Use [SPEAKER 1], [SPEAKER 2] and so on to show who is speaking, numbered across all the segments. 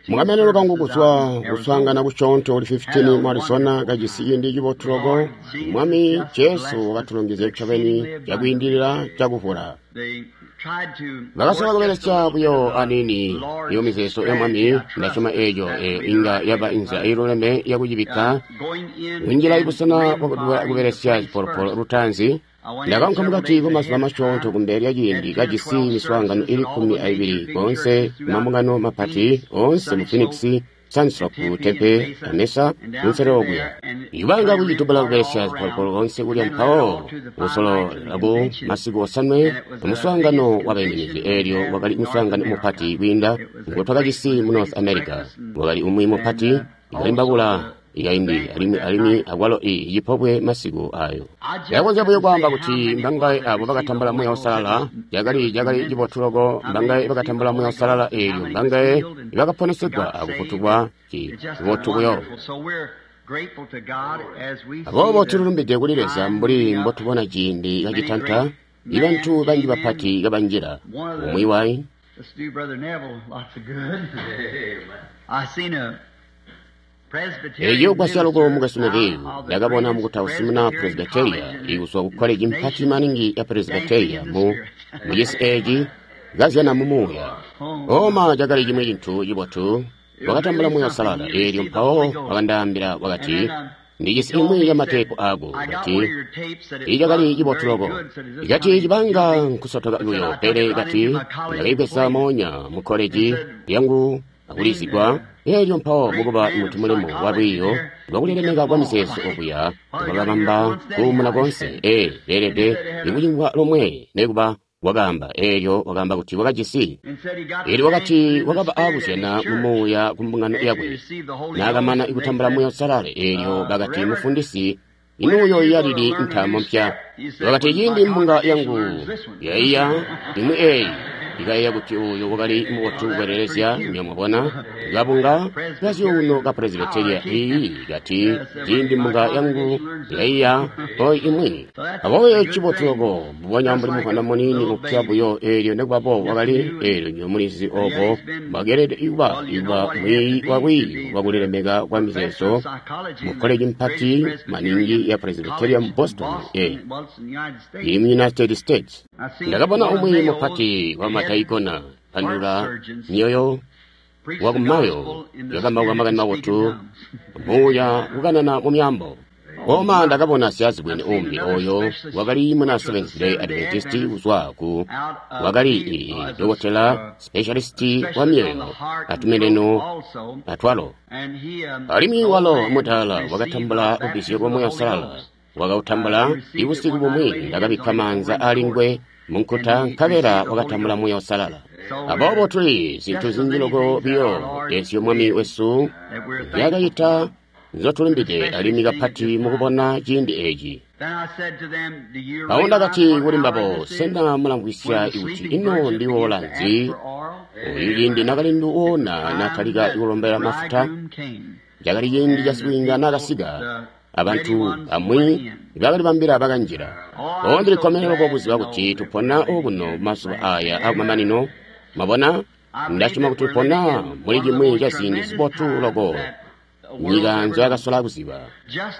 [SPEAKER 1] Mukameneno kangu kuzwa kuswaangana kusyoonto kuli 15 mu Arizona kajisi ciindi cibotu loko, Mwami Jesu wakatulongezya ncobeni cakwiindilila cakuvula. Bakasola kubelesya buyo aniini iyo mizeezo ya Mwami, ndasyoma eeco inga yaba inzila iiluleme yakucibikka kunjila ibusena bwakubelesya zipolopolo lutaanzi. Ndakaunka mukati kwamazuba masyoonto kumbele lya ciindi kajisi miswaangano ili 12 koonse mambungano mapati oonse mu Phoenix, Sunslope, Tempe, a Mesa, kunselelo okuya. Ibanga kucitubula kubelesya zipolopolo koonse kulya mpawo kusololela ku masiku osanwe amuswaangano wabaiminizi eelyo wakali muswaangano mupati kwiinda ngotwakajisi mu North America. Wakali umwi mupati ikalimbabula ikaindi alimwi alimwi akwalo icipobwe masiku ayo. Ndakonzya buyo kwaamba kuti mbangaye abo bakatambula Muuya Uusalala, cakali cakali cibotu loko, mbangaye bakatambula Muuya Uusalala eelyo, mbangaye bakaponesegwa akufutulwa, cibotu buyo. Aboobo tulilumbide kuli Leza mbuli mbotubona ciindi kacitanta, ibantu banji bapati kabanjila. Umwi wai Eeco gwasya loko mukwesu Neville. Ndakabona mukutausi muna Presbyteria ikuzwa ku koleji mpati maningi ya Presbyteria mu mucisi eeci kazyana mu muuya. Oma cakali cimwi cintu cibotu. Wakatambula Muuya Uusalala eelyo mpawo wakandaambila wakati, Ndijisi imwi ya mateepu aako. Kati, Icakali cibotu loko. Kati cibanga nkusotoka buyo, pele kati ndakaibweza moonya mu koleji yangu akulizigwa eelyo mpawo mukuba muntu mulimo wa lwiiyo lwakulilemeka kwa mizeezo okuya wakabamba kuumuna koonse. Ee, beelede ikucingwa lomwe nekuba wakaamba eelyo wakaamba kuti wakajisi. Eelyo wakati wakaba aakuzyana mu muuya ku mbungano yakwe naakamana kutambula Muuya Uusalala. Eelyo bakati, Mufundisi, ino uyooiya lili ntaamo mpya? Wakati, Ciindi mbunga yangu yaiya imwi eeyi, ikayeeya kuti uyu wakali mubotu kukwelelezya, nywebo mwabona, kabunga kazyuuno ka Presbyteria iyi, kati, ciindi mbunga yangu yaiya oyi imwi. Aboobo eco cibotu loko, mbubonya mbuli muvwanda muniini mupya buyo eelyo nekubaboobo wakali, eelyo nywebo mulizi obo mbwakeelede kuba, kuba mwiiyi wa lwiiyo lwa kulilemeka kwa mizeezo mu koleji mpati maningi ya Presbyteria mu Boston, ee, ili mu United States. Ndakabona umwi mupati wa madaikona pandula myoyo wakumayo yakambauka makani mabotu muuya kukanana mu myaambo. Koma ndakabona syazibwene umbi oyo wakali muna Seventh Day Adventist kuzwa ku wakali dokotela specialist wa myoyo atumeneno atwalo. Alimwi walo mudaala wakatambula lubbizyo lwa Muuya Uusalala. Wakautambula ibusiku bumwi ndakabikka maanza ali nguwe munkuta nkabela wakatambula Muuya Uusalala. Aboobo tuli zintu zinji loko biyo ezyo Mwami wesu nzyaakacita nzotulumbide alimwi kapati mukubona ciindi eeci. Mpawo ndakati kuli mbabo, Sena mulamvwisya kuti ino ndiwoola nzi? Oyu ciindi nakalindu woona natalika kulombela mafuta, cakali ciindi ca sibwiinga naakasika, abantu bamwi ibakalibambila bakanjila. Oh, ndilikkomene loko kuziba kuti tupona okuno mazuba aaya akumamanino. Mwabona? Ndasyoma kuti tupona muli cimwi ca ziindi zibotu loko nyika nzoyakasola kuziba.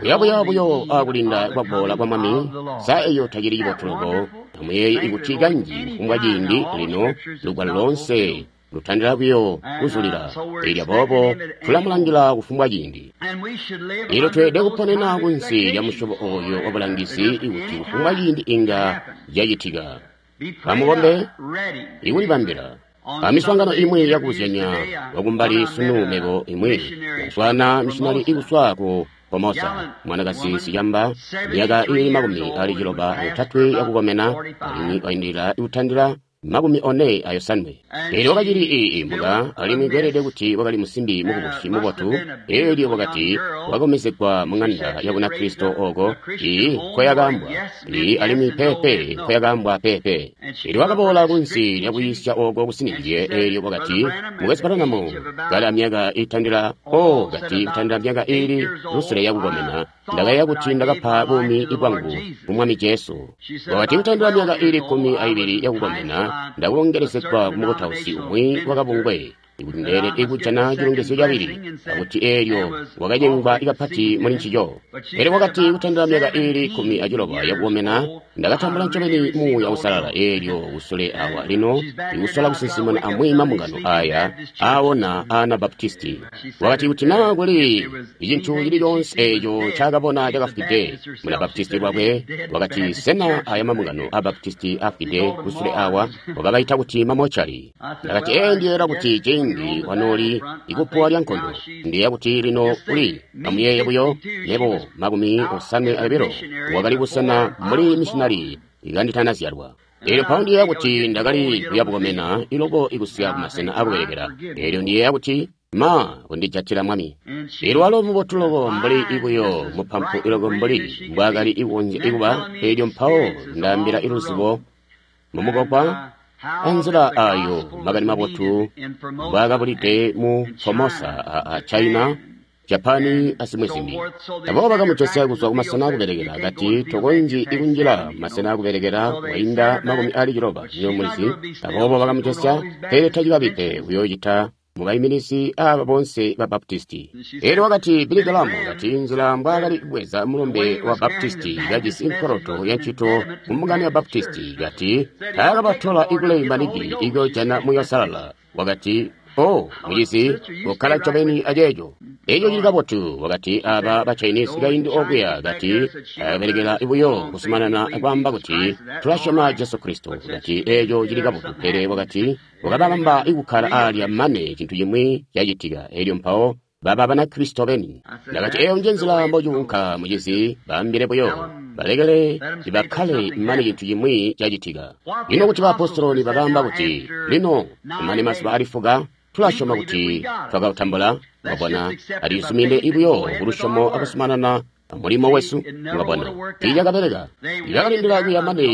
[SPEAKER 1] Kuyabuya buyo akulinda kwaboola kwa Mwami, sa eyo tacili cibotu loko? Amuyeeye kuti kanji kufumbwa ciindi lino lugwalo loonse lutandila buyo kuzulila, eelyo aboobo tulamulangila kufumbwa ciindi. Eelyo tweelede kuponena kunsi lya musyobo ooyo wabulangizi kuti kufumbwa ciindi inga cacitika. Amukombe ikulibambila. Amiswaangano imwi yakubuzyanya wakumbali sunu mebo imwi ndaswaana misyinali ikuzwa ku Formosa, mwanakazi sicamba, myaka iili 63 yakukomena, alimwi waindilila kutandila 47. Eelyo wakacili iimbuka, alimwi kweelede kuti wakali musimbi mukubusi mubotu. Eelyo wakati wakakomezegwa muŋanda ya Bunakristo ooko, ii, nkoyakaambwa, ii, alimwi peepe, nkoyakaambwa peepe. Eelyo wakaboola kunsi lya kuyiisya ooko kusinizye, eelyo wakati, Mukwesu Branham, kali amyaka iitandila, oh, kati kutandila myaka iili lusele yakukomena, ndakayeeya kuti ndakapa buumi bwangu ku Mwami Jesu. Wakati kutandila myaka iili 12 yakukomena, Ndakulongelezegwa ku mukutausi umwi wakabungwe kuti ndeelede kujana cilongezyo cabili, akuti eelyo wakacengwa kapati muli ncico. Pele wakati kutandila myaka iili 16 yakukomena ndakatambula ncobeni Muuya Uusalala, eelyo kusule awa lino ikusola kusinsimuna amwi mambungano aya aawona Anabaptisti. Wakati kuti naa kuli cintu cili coonse eeco ncaakabona cakafwide Munabaptisti lwakwe, wakati sena aya mambungano a Baptisti afwide kusule awa, wakabaita kuti mamochari. Ndakati ee ndiyeera kuti ciindi wanooli ikupuwa lya nkondo, ndiyeeya kuti lino uli amuyeeye buyo mebo 52 wakali kusena mbuli missionari ikanditanazyalwa. Eelyo mpawo ndiyeeya kuti ndakali kuyabukomena iloko ikusika kumasena akubelekela. Eelyo ndiyeeya kuti ma kundijatila Mwami. Eelyo walo mubotu loko mbuli ibuyo mupampu iloko mbuli mbwaakali ikukonzya ikuba. Eelyo mpawo ndaambila iluzibo mumugwagwa anzila ayo makani mabotu mbwaakabulide mu Formosa a China, Japani azimwi zimbi. Aboobo bakamujosya kuzwa kumasena akubelekela, kati tokonzyi ikunjila masena akubelekela wainda 90 niyo mulizi. Aboobo bakamujosya, pele tacikabi pe uyoocita mubaiminizi aba bonse ba Baptisti. Eelyo wakati Billy Graham kati nzila mbwaakali kubweza mulumbe wa Baptisti kajisi nkoloto ya ncito mu mbungano ya Baptisti, kati taakabatola ikulei manigi ikuyojana Muuya Uusalala. Wakati oh mucizi, kokkala ncobeni aceeco. Eeco cili kabotu. Wakati aba ba Chinese kaindi okuya, kati akabelekela buyo kusumanana kwaamba kuti tulasyoma Jesu Kristo. Kati eeco cili kabotu, pele wakati wakababamba ikukkala alya mane cintu cimwi cacitika. Eelyo mpawo baba Banakristo beni. Ndakati eeyo nje nzila mbocuunka mucizi, baambile buyo balekele bakkale mane cintu cimwi cacitika. Lino kuti baapostoli bakaamba kuti lino kumane mazuba ali fuka tulasyoma kuti twakatambula, mwabona, alizumine buyo kulusyomo akusumanana mulimo wesu, mwabona, tiicakabeleka. Ibakalindila kuya mane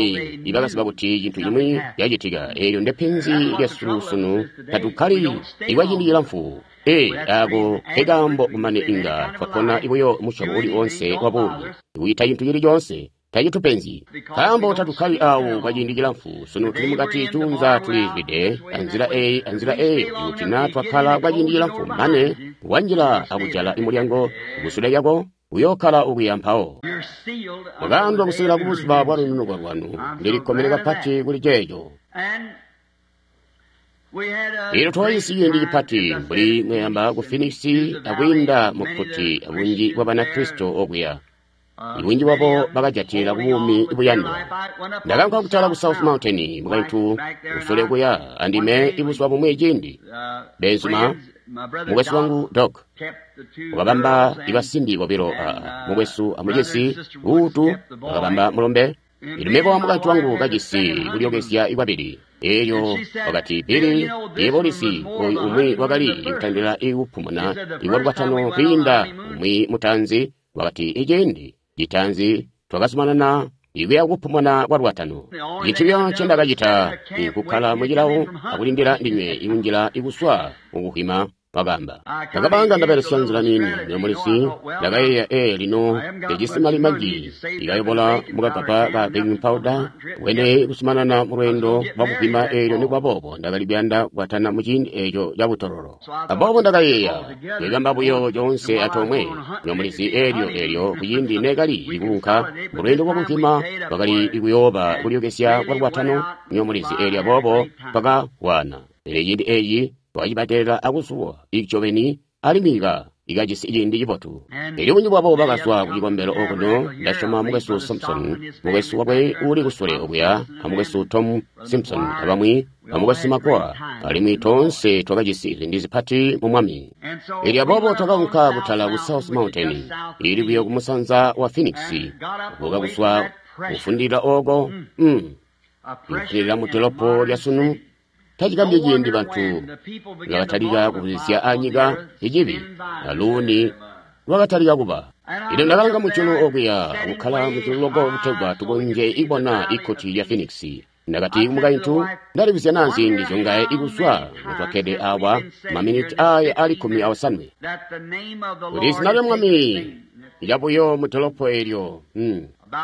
[SPEAKER 1] ibakaziba kuti cintu cimwi cacitika. Eelyo ndepenzi lyesu sunu, tatukkali ikwaciindi cilamfu. Ee, ako nkekaambo kumane inga twapona buyo musyobo uli oonse wa buumi, kuita cintu cili coonse tacitupenzi, nkaambo tatukkali awo kwaciindi cilamfu. Sunu tuli mukati cuunza tulizwide anzila eyi anzila eyi. Kuti naa twakkala kwaciindi cilamfu mane wanjila akujala imulyango kusule lyako, uyookkala okuya mpawo. Mwakaandwa kusikila kubuzuba bwa lununuko lwanu. Ndilikkomene kapati kuli ceeco. Eelyo twakajisi ciindi cipati mbuli mweyamba ku Phoenix akwiinda mu kkuti abunji bwa Banakristo okuya. Ibunji bwabo bakajatila kubuumi buyandwa. Ndakaunka kutala ku South Mountain mukaintu kusule kuya andime ibuzuba bumwi ciindi. Benzuma, mukwesu wangu Doc wakabamba ibasimbi bobilo aa, mukwesu amucisi Uutu wakabamba mulombe. Ilyo mebo amukaintu wangu kajisi kulyokezya ikwabili. Eelyo wakati Billy, yebo ulisi oyu umwi wakali kutandila ikupumuna ikwalwatano kwiinda umwi mutaanzi. Wakati iciindi citaanzi twakazumanana ikuya kupumuna kwa lwatano. Cintu buyo ncendakacita nkukkala mucilawo akulindila ndinywe ikunjila ikuswa mukuhwima, wakaamba. Ndakabanga ndabelesya nzila niini nyomulisi, ndakayeeya ee lino ndijisi mali manji ikayobola mukagaba ka baking powder wene kusumanana mulweendo lwakuhwima. Eelyo nikuba boobo ndakali kuyanda kukwatana muciindi eeco cabutololo. Aboobo ndakayeeya kwekamba buyo coonse atoomwe nyomulisi. Eelyo eelyo kuciindi neekali ikuunka mulweendo lwakuhwima kwakali ikuyooba kulyokezya kwa lwatano nyomulisi. Eelyo aboobo twakawana. Pele ciindi eeci twakacibadelela akuzuwa ncobeni alimwi ikajisi ciindi cibotu. Elyo bunji bwabo bakazwa kucikombelo okuno. Ndasyoma mukwesu Simpson, mukwesu wakwe uuli kusule okuya, amukwesu Tom Simpson abamwi, amukwesu Makoa, alimwi toonse twakajisi ziindi zipati mu Mwami. Elyo aboobo twakaunka kutala ku South Mountain, ili buyo kumusanza wa Phoenix, kubuka kuzwa kufundilila oko, kufundilila mu dolopo lya sunu. Tacikambye ciindi bantu bakatalika kubuzya anyika icibi, aluuni lwakatalika kuba. Ino ndakalanga mujulu okuya akukkala mujulu loko kutegwa tukonzye ibona ikkuti lya Phoenix. Ndakati kumukaintu, ndalibuzya naa ziindi zyongaye ikuzwa notwakkede awa maminiti aya ali 18. Kuti izina lya Mwami lyabuyo mu dolopo eelyo.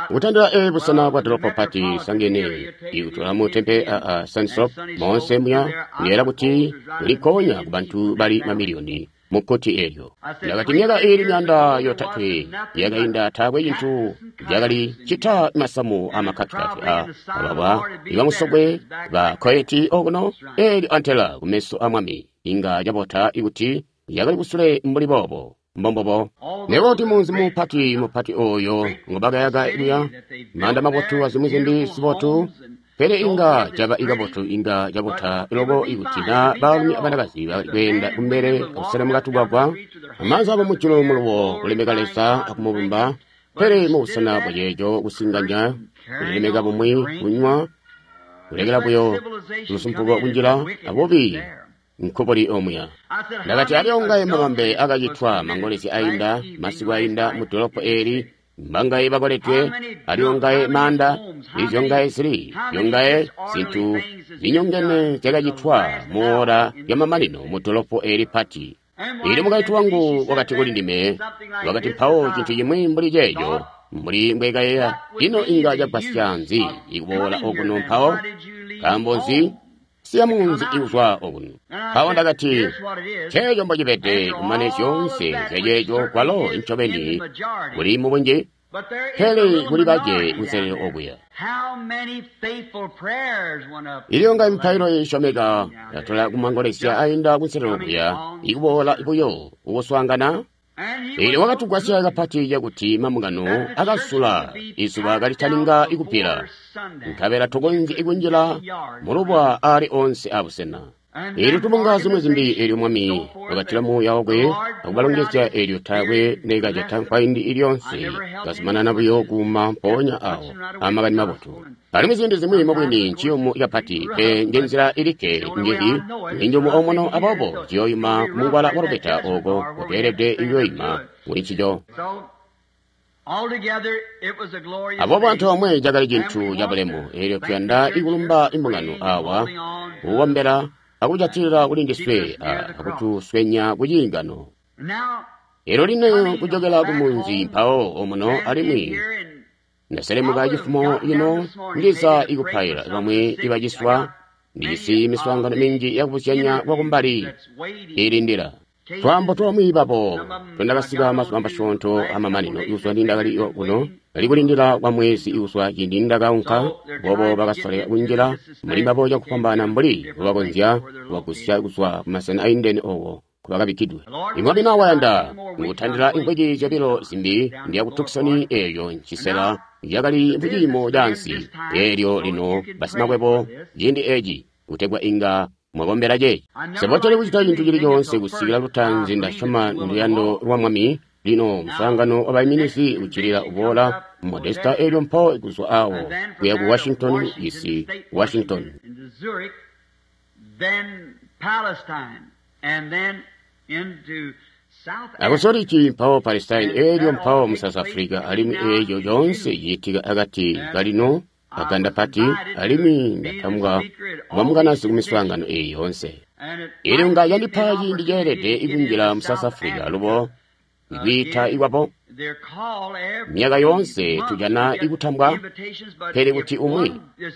[SPEAKER 1] Kutandila e busena bwa dolopo pati sangene ikutola mu tempe a Sunslope moonse muya kuyeera kuti kulikonya ku bantu bali mamiliyoni mu kkuti eelyo. Ndakati myaka iili 300 yakainda taakwe cintu cakali cita masamu amakkatikati a ababwa ibamusokwe ba koyeti okuno eelyo antela kumeso a mwami inga cabota ikuti yakali kusule mbuli boobo. Mbombobo. Nebo kuti munzi mupati mupati oyo ngobakayaka kuya manda mabotu azimwi zimbi zibotu, pele inga caba ikabotu inga cabota loko ikuti na baalumi abanakazi bakali kweenda kumbele akuselemuka tugwagwa amaanza abo mujulu muluwo kulemeka Leza akumubumba, pele mubusena bwaceeco kusinganya kulilemeka bumwi kunywa kulekela buyo lusumpuko kunjila abubi nkubuli omuya. Ndakati aliongaye mabambe akacitwa mangolezi ainda masiku ainda mu dolopo eli mbangaye bakoledwe aliongaye manda izyongaye zili zyongaye zintu zinyongene zyakacitwa muora yamamanino mu dolopo eli pati. Ili mukaintu wangu wakati kuli ndime, wakati mpawo cintu cimwi mbuli ceeco mbuli mbwekayeya ino inga cagwasya nzi ikuboola okuno mpawo nkaambo nzi siya munzi ikuzwa okuno. Mpawo ndakati ceeco mbocibede kumane zyoonse zyaceeco kwalo ncobeni kuli mubunji pele kuli bace kunselelo okuya. Ilyo nga mipailo isyomeka yatola kumangolezya ainda kunselelo okuya ikuboola buyo ukuswaangana. Eelyo wakatugwasya kapati cakuti mambungano akasula izuba kalitaninga ikubbila, nkabela tukonzye kunjila mulubwa ali onse abusena. Eelyo tubunga zimwi zimbi eelyo Mwami wakatila muuya wakwe akubalongezya eelyo taakwe nekaceta nkwaindi ilyonse kazumanana buyo kuuma mpoonya awo amakani mabotu. Alimwi ziindi zimwi mubwini nciyumu kapati pe njenzila ilikke njehi ninjumu omuno aboobo ciyoyuma kumungwala wa lubeta ooko kutweelede kuyoyima kuli ncico. Aboobo antoomwe cakali cintu cabulemu eelyo tuyanda ikulumba imbungano awa kukombela akujatilila kuli ndiswe akutuswenya kuciingano. Eelyo lino kujokela kumunzi mpawo omuno alimwi ndaselemuka cifumo lino ndiza ikupaila bamwi ibaciswa ndijisi miswaangano minji yakubuzyanya kwakumbali ilindila. Twaambo twamwi babo twendakasika mazuba masyoonto amamanino ikuzwa nindakali kuno kali kulindila kwa mwezi ikuzwa ciindi nindakaunka boobo bakasoleka kunjila muli mbabo cakufwambaana mbuli mbobakonzya kubagusya kuzwa kumasena aindene ooko kubakabikkidwe. Imwami na wayanda ngutandila imvwiki zyobilo zimbi ndiya ku Tucson eelyo ncisela yakali muciimo caansi eelyo lino basimakwebo ciindi eeci kutegwa inga mwakombela ceeci. Seboteli kucita cintu cili coonse kusikila lutaanzi ndasyoma nduyando lwa Mwami. Lino muswaangano wabaiminizi uccilila uboola Modesta eelyo mpawo kuzwa awo kuya ku Washington DC, Washington. Akusolici mpawo Palestine eelyo mpawo mu South Africa alimwi eeco coonse ciitika akati kalino aganda pati alimwi ndatambwa kuba kumiswaangano eeyi yoonse. Eelyo nga yandipa ciindi ceelede ikunjila mu South Africa alubo ikwiita ikwabo. Myaka yoonse tujana ikutambwa pele kuti umwi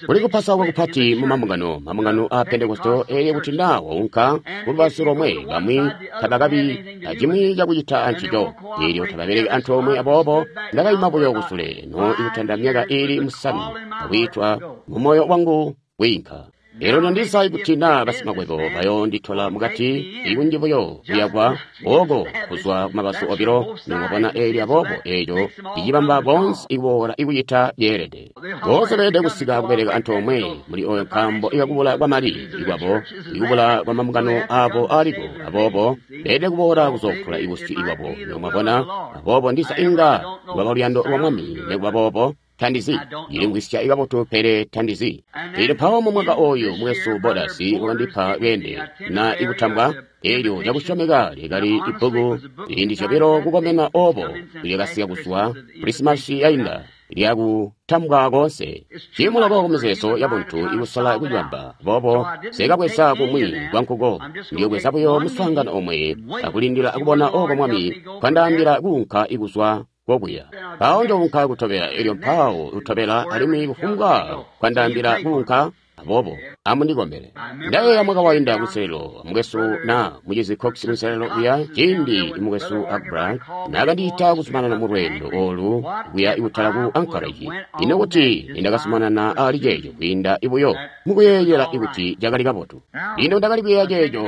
[SPEAKER 1] kuli kupasauka kupati mu mambungano mambungano a Pentekoste eelyo kuti na waunka kulubazu lomwe bamwi tabakabi acimwi cakucita ancico eelyo tababeleki antoomwe aboobo ndakaima buyo kusule no ikutanda myaka iili 5 akwiitwa mu moyo wangu kwiinka. Eelyo nondiza ikuti na basimakwebo bayoonditola mukati ikunji buyo kuyakwa ooko kuzwa kumabazu obilo nimwabona eelyo aboobo eeco icibamba boonse ikuboola ikucita yeelede. Boonse beelede kusika kubeleka antoomwe muli oyo nkaambo ikakubula kwamali ikwabo ikubula kwamambungano aabo aliko aboobo beelede kuboola kuzoofula ibusyu ikwabo nimwabona aboobo ndiza inga lwaba luyando lwa Mwami nikuba boobo tandizi ilimvwisya ikabotu pele tandizi. Eelyo mpawo mu mwaka oyu mwesu Bodasi wakandipa lweende na ikutambwa eelyo cakusyomeka lyakali ibbuku ziindi zyobilo kukomena oobo lyakasika kuzwa Krisimasi yainda lyakutambwa koonse. Ciimuloko kumizeezo yabuntu ikusola kucibamba boobo nsekabweza kumwi kwankuko ndiyobweza buyo muswaangano omwe akulindila kubona ooko Mwami kwandaambila kuunka ikuzwa kokuya. Mpawo njounka kutobela, elyo mpawo lutobela, alimwi kufumbwa kwandaambila kuunka. Aboobo amundikombele. Ndayeeya mwaka wainda kunselelo, mukwesu na mucizi Cox kunselelo kuya, ciindi mukwesu Abra nakandiita kuzumanana mu lweendo olu kuya kutala ku Anchorage. Ino kuti nindakazumanana ali ceeco kwiinda ibuyo mukuyeeyela ikuti cakali kabotu. Lino ndakali kuyeeya ceeco,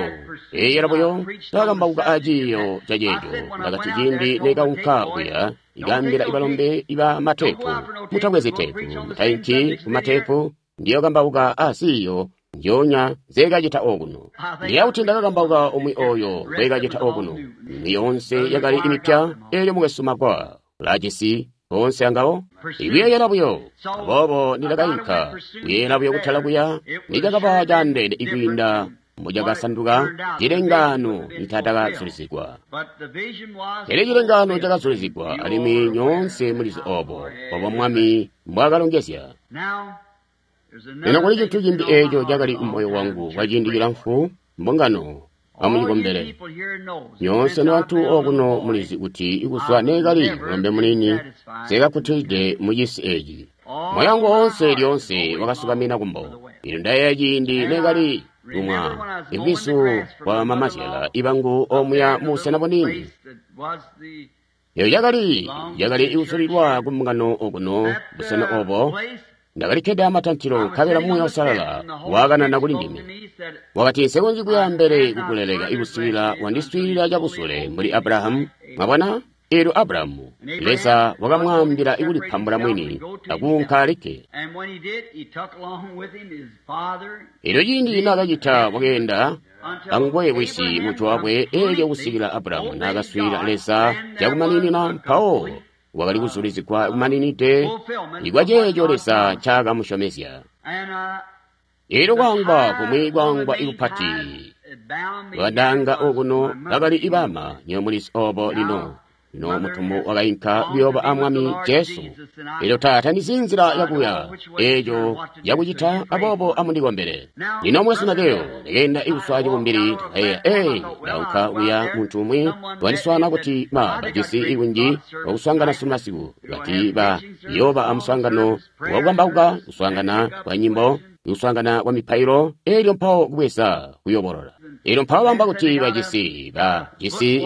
[SPEAKER 1] yeeyela buyo ndakakambauka aciiyo ca ceeco. Ndakati ciindi nekaunka kuya, ikaambila ibalombe iba matepu, mutabwezi tepu, mutainki ku matepu, ndiyokambauka asiyo njoonya nzeekacita okuno. Ndiya kuti ndakakambauka umwi oyo ngweekacita okuno. Imwi yoonse yakali imipya, elyo mukwesu Magwa ulajisi oonse angawo. Ikuyeeyela buyo. Aboobo nindakainka kuyeeyela buyo kutala kuya, nicakaba caandeene ikwiinda mbucakasanduka cilengaano nicatakazulizigwa. Pele cilengaano cakazulizigwa, alimwi nyoonse mulizi obo, obo Mwami mbwaakalongezya. Lino kuli cintu cimbi eeco cakali mumoyo wangu kwa ciindi cilamfu, mbungano amucikombele. Nyoonse nobantu okuno mulizi kuti kuzwa neekali mulombe muniini nseekakkutilide mucisi eeci. Moyo wangu woonse lyoonse wakasukamina kumbo. Lino ndayeeya ciindi neekali kumwa ibwizu bwa mamazyala ibangu omuya mubusena buniini. Eyo yakali ikuzulilwa kumbungano okuno busena obo. Ndakalikkede amatantilo nkabela Muuya Uusalala waakanana kuli ndime. Wakati, nsekonzyi kuya ambele kukuleleka ikuswiilila wandiswiilila cabusule mbuli Abrahamu. Mwabona? Eelyo Abrahamu, Leza wakamwaambila ikulipambula mwini akuunka alikke. Eelyo ciindi naakacita wakeenda anguwe wisi mujwa wakwe, eelyo kusikila Abrahamu naakaswiilila Leza cakumaninina, mpawo wakali kuzulizigwa kumaninide ikwa ceeco Leza ncaakamusyomezya. Eelyo kwaangwa kumwi kwaangwa ikupati lwadaanga okuno bakali ibama, nywebo mulizi obo lino. Lino mutumbu wakainka kuyooba a Mwami Jesu. Eelyo taata ndizi nzila yakuya eeco yakucita, aboobo amundikombele. Lino mwesu Mateo ndakeenda ikuswa cibumbili, ndakayeeya, ee, ndaunka kuya muntu umwi wandiswaana kuti ma bajisi ikunji wakuswaangana sunu masiku, kati ba yooba amuswaangano wakukambauka, kuswaangana kwa nyimbo, kuswaangana kwa mipailo, eelyo mpawo kubweza kuyobolola. Eelyo mpawo bamba kuti bajisi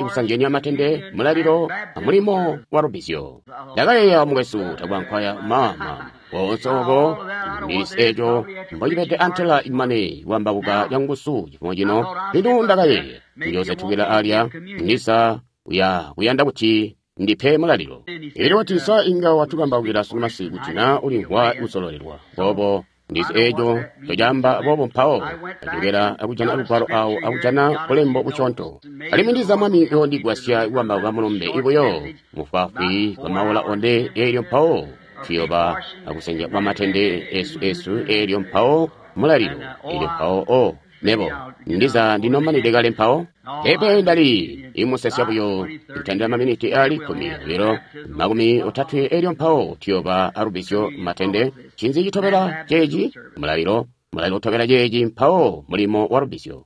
[SPEAKER 1] kusanjenya matende, mulalilo, amulimo wa lubbizyo. Ndakayeeya mukwesu takwankwaya mama woonse obo ndisi eeco mbocibede antela imane kuambauka canguzu cifumo cino. Lino ndakayeeya njoosetukila alya ndisa uya kuyanda kuti ndipe mulalilo. Eelyo wati sa inga watukambaukila sunu masiku kuti na ulimvwa kusololelwa boobo. Ndizi eeco ncocaamba boobo mpawo ajokela akujana lugwalo awo akujana bulembo busyoonto. Alimwi ndiza Mwami yoondigwasya kukambauka mulumbe ibuyo mufwaafwi kwa maola one, eelyo mpawo tuyoba akusenja kwa matende esu eelyo mpawo mulalilo, eelyo mpawo o nebo ndiza ndinomanide kale mpawo. Pepe ndali imusesya buyo kutandila maminiti ali 10, 20, eelyo mpawo tuyoba alubbizyo matende. Ncinzi citobela ceeci? Mulalilo. Mulalilo utobela ceeci mpawo mulimo wa lubbizyo.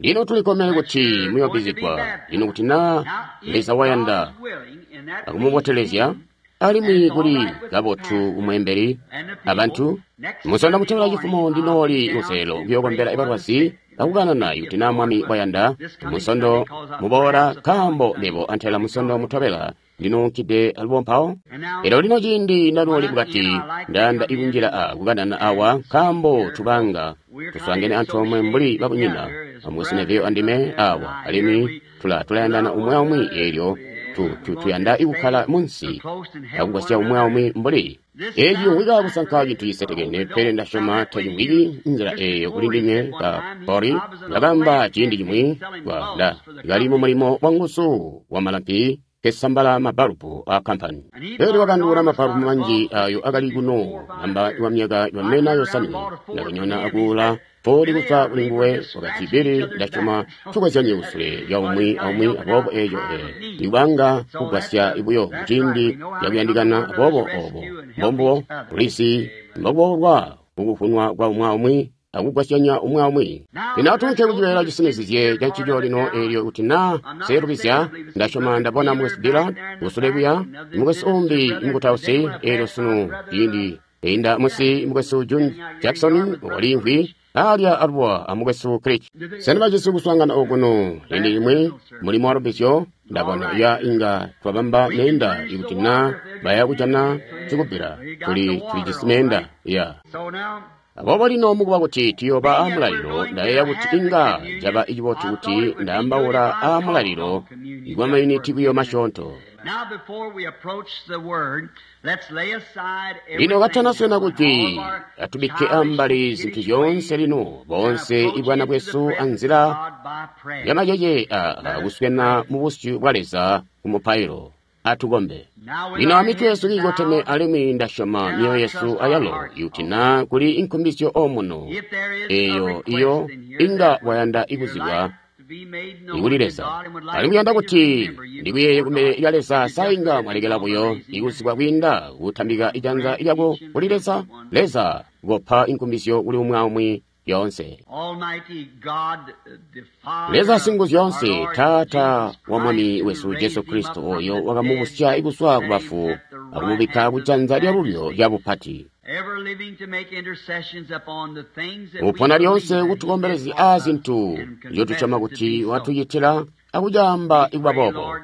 [SPEAKER 1] Lino tulikkomene kuti muyobbizigwa. Lino kuti na Leza wayanda akumubotelezya, alimwi kuli kabotu kumweembeli abantu. Musonda mutobela cifumo ndinooli kunselelo kuyokombela ibalwazi akukanana ikuti na Mwami wayanda. Musondo muboola nkaambo mebo antela musondo mutobela ndinounkide alubo mpawo. Elyo lino ciindi ndanooli mukati ndayanda ikunjila a kukanana awa nkaambo tubanga tuswaangene antoomwe mbuli babunyina amukwesu Neville andime awa, alimwi tulayandana umwi aumwi, eelyo tuyanda ikukkala munsi akugwasya umwi aumwi mbuli eeci cimvwika kusanka cintu cisetekene, pele ndasyoma tacimvwiki nzila eeyo kuli ndinywe. Ba Bori ndakaamba ciindi cimwi kali mumulimo wanguzu wa malampi kesambala mabalubu a kampani. Elyo wakanduula mabalubu manji ayo akali kuno namba wa myaka yomena yosanwe. Ndakanyona akuula poli kuzwa kuli nguwe, wakati Bili ndasyoma tukozyanye kusule lya umwi aumwi, aboobo eeco ikubanga kugwasya buyo muciindi cakuyandikana, aboobo obo mbombubo tulisi mbokuboolwa kukuvunwa kwa umwi aumwi. akugwasyanya umwi aumwi. Lino atuunke kucibeela cisinizizye ca ncico lino eelyo kuti naa nselubizya, ndasyoma ndabona Mukwesu Dillard kusule kuya, mukwesu umbi mukutausi, eelyo sunu ciindi inda munsi mukwesu June Jackson waliimvwi alya aluwa a mukwesu Creech. Sena bajisi kuswaangana okuno ciindi cimwi mulimo wa lubbizyo? Ndabona ya inga twabamba meenda ikuti naa baya kujana cikubbila tuli tulijisi meenda ya. Aboobo lino mukuba kuti tuyooba a mulalilo, ndayeeya kuti inga caba cibotu kuti ndaambaula a mulalilo kwa mayuniti buyo masyoonto. Lino katanaswena kujwi, atubikke ambali zintu zyoonse lino, boonse ibwana bwesu anzila yamacece a kuswena mu busyu bwa Leza ku mupailo. Atukombe. Lino amitwe yesu kiikoteme alimwi ndasyoma myoyo yesu ayalo, ikuti naa kuli inkumbizyo omuno, eyo iyo inga wayanda ikuzibwa ikuli Leza. Alimwi uyanda kuti ndikuyeeye kumbele lya Leza, sa inga mwalekela buyo ikuzibwa kwiinda kutambika ijanza lyako kuli Leza? Leza kopa inkumbizyo kuli umwi aumwi lyoonse. Leza Singuzyoonse, Taata wa Mwami wesu Jesu Kristo, oyo wakamubusya kuzwa ku bafu akumubikka kujanza lyalulyo lya bupati, upona lyoonse kutukombelezya a zintu nzyotusyoma kuti watucitila akucaamba ikuba boobo.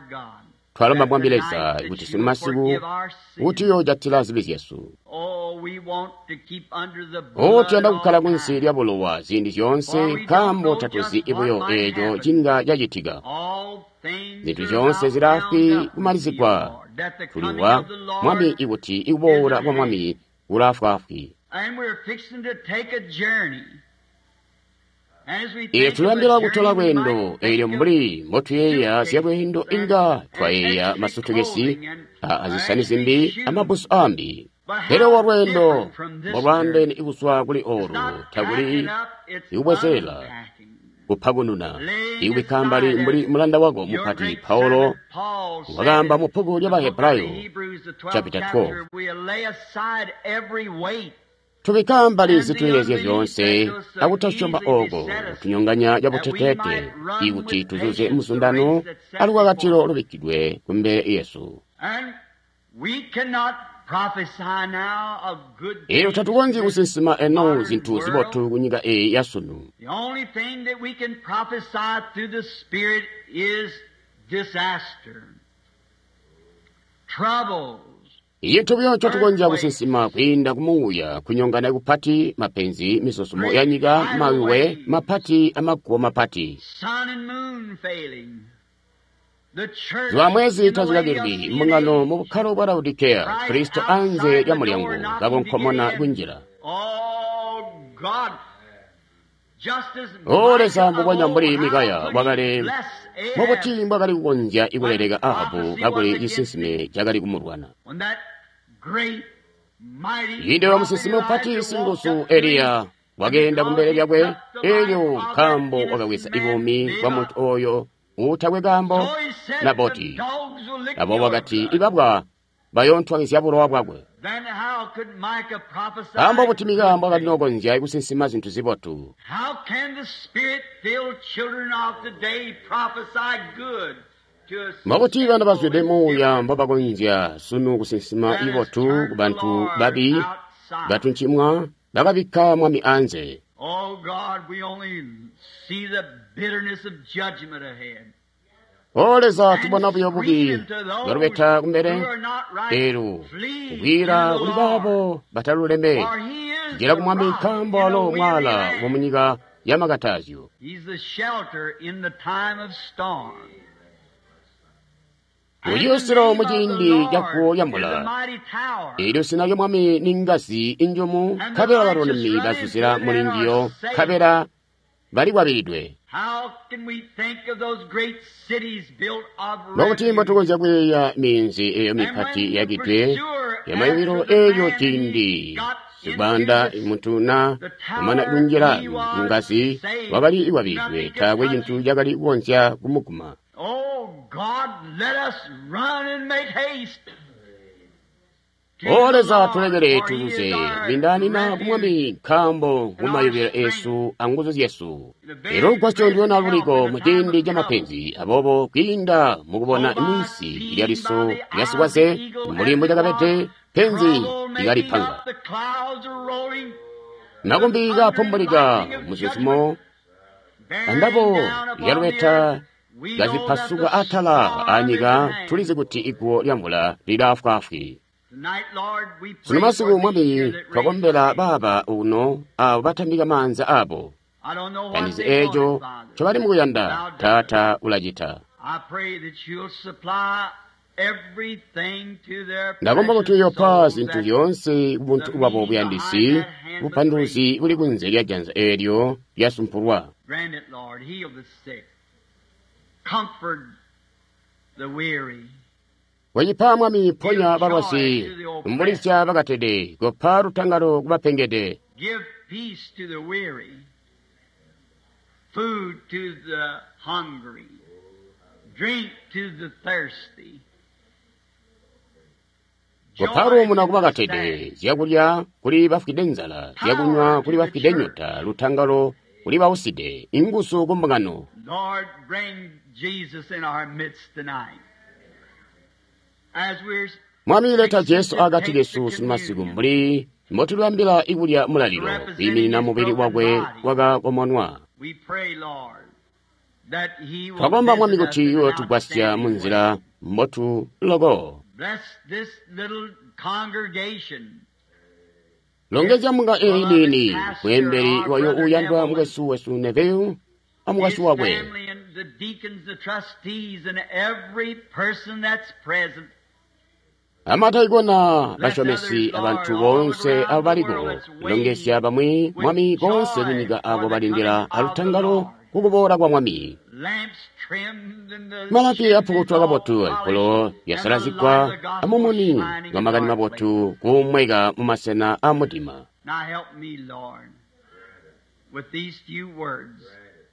[SPEAKER 1] Twalomba Mwami Leza kuti sunu masiku kuti uyoojatila zibi zyesu. O tuyanda kukkala kunsi lya bulowa ziindi zyoonse, nkaambo tatuzi buyo eeco cinga cacitika. Zintu zyoonse zilaafwi kumalizigwa. Tuliwa Mwami ikuti ikuboola kwa Mwami kulaafwaafwi. Eelyo tuliyambila kutola lweendo, eelyo mbuli mbotuyeeya zyalweendo inga twayeeya masutukesi, azisani zimbi amabbusu aambi. Pele olwo lweendo mbolwaandeene kuzwa kuli olu, takuli ikubwezelela, kupakununa, ikubikka ambali mbuli mulanda wako mupati Paulo wakaamba mu bbuku lya Bahebrayo chapter 12. Tubikka ambali zituyeezya zyoonse akutasyoma ooko kutunyonganya cabuteteete, ikuti tuzuze muzundano alukakatilo lubikkidwe kumbele yesu. Eelyo tatukonzyi kusinsima eno zintu zibotu kunyika eyi yasunu. Icintu buyo ncotukonzya kusinsima kwiinda kumuuya kunyongana kupati, mapenzi, mizuzumo ya nyika, mayuwe mapati amaguwo mapati. Zuba mwezi tazikakilwi, mbungano mu bukkalo bwa Laodikeya, Kristo anze lya mulyango kakonkomona kunjila. O Leza, mbubonya mbuli Mikaya wakale, mubuti mbwakali kukonzya ikuleleka Ahabu kakuli cisinsime cakali kumulwana. Ciindi wa musinsimi mupati singuzu Eliya wakeenda kumbele lyakwe, eelyo nkaambo wakabweza buumi bwa muntu oyo uutakwe kaambo Naboti. Aboobo wakati ibabwa bayoontwangizya bulowa bwakwe. Nkaambo kuti Mikaya mbwakali nokonzya kusinsima zintu zibotu. Mbokuti bana bazwide muuya mbobakonzya sunu kusinsima ibotu kubantu babi batuncimwa bakabikka Mwami anze. O Leza, tubona buyo bubi bwalubeta kumbele, eelyo kukwiila kuli baabo bataluleme, njila ku Mwami nkaambo walo mwaala wamunyika ya makatazyo. Uciyusilo muciindi caguwo lyamvula, eelyo zina lya Mwami ni ngazi injumu, nkabela balulami bazuzila muli njiyo, nkabela balikwabilidwe. Mbokuti mbotukonzya kuyeeya minzi eyo mipati yakidwe yamayubilo eeyo ciindi sikubanda muntu na kumana kunjila ngazi wakali ikwabilidwe, taakwe cintu cakali kukonzya kumuguma. O Leza, tulekele tuzuze kubindaanina ku Mwami, nkaambo ngumayubilo esu anguzu zyesu. Elyo lugwasyo ndilwena luliko mu ciindi ca mapenzi. Aboobo kwiinda mukubona minsi lya liso lya sikwaze mbuli mbucakabede, penzi likalipanga. Makumbi kapumbulika muzuzumo, andabo lyalubeta kazipasuka atala anyika, tulizi kuti iguwo lya mvula lilaafwaafwi. Sunu masiku, Mwami, twakombela baaba uno abo batambika maanza abo. Tandizi eco ncobali mukuyanda, Taata, ulacita. Ndakomba kuti uyopa zintu zyoonse kubuntu bwabo buyandisi, bupanduluzi buli kunze lya janza eelyo lyasumpulwa. Kocipa, Mwami, ponya balwazi, umbulizya bakatede, kopa lutangalo kubapengede. Kopa luumuno kubakatede, zyakulya kuli bafwide nzala, zyakunywa kuli bafwide nyota, lutangalo kuli bauside, inguzu kumbungano. Mwami, leta Jesu akati kesu sunu masiku mbuli mbotulibambila ikulya mulalilo, kwiiminina mubili wakwe wakakomonwa. Twakomba, Mwami, kuti uyotugwasya munzila mbotu loko. Longezya mbunga eyi niini, mweembeli wayo uuyandwa mukwesu wesu Neville amukwasyi wakwe, amataikona, basyomesi, abantu boonse abo baliko. Longezya bamwi, Mwami, boonse kunyika abo balindila alutangalo kukuboola kwa Mwami. Malapi apukutwa kabotu, alipolo lyasalazigwa, amumuni wa makani mabotu kuumweka mumasena a mudima.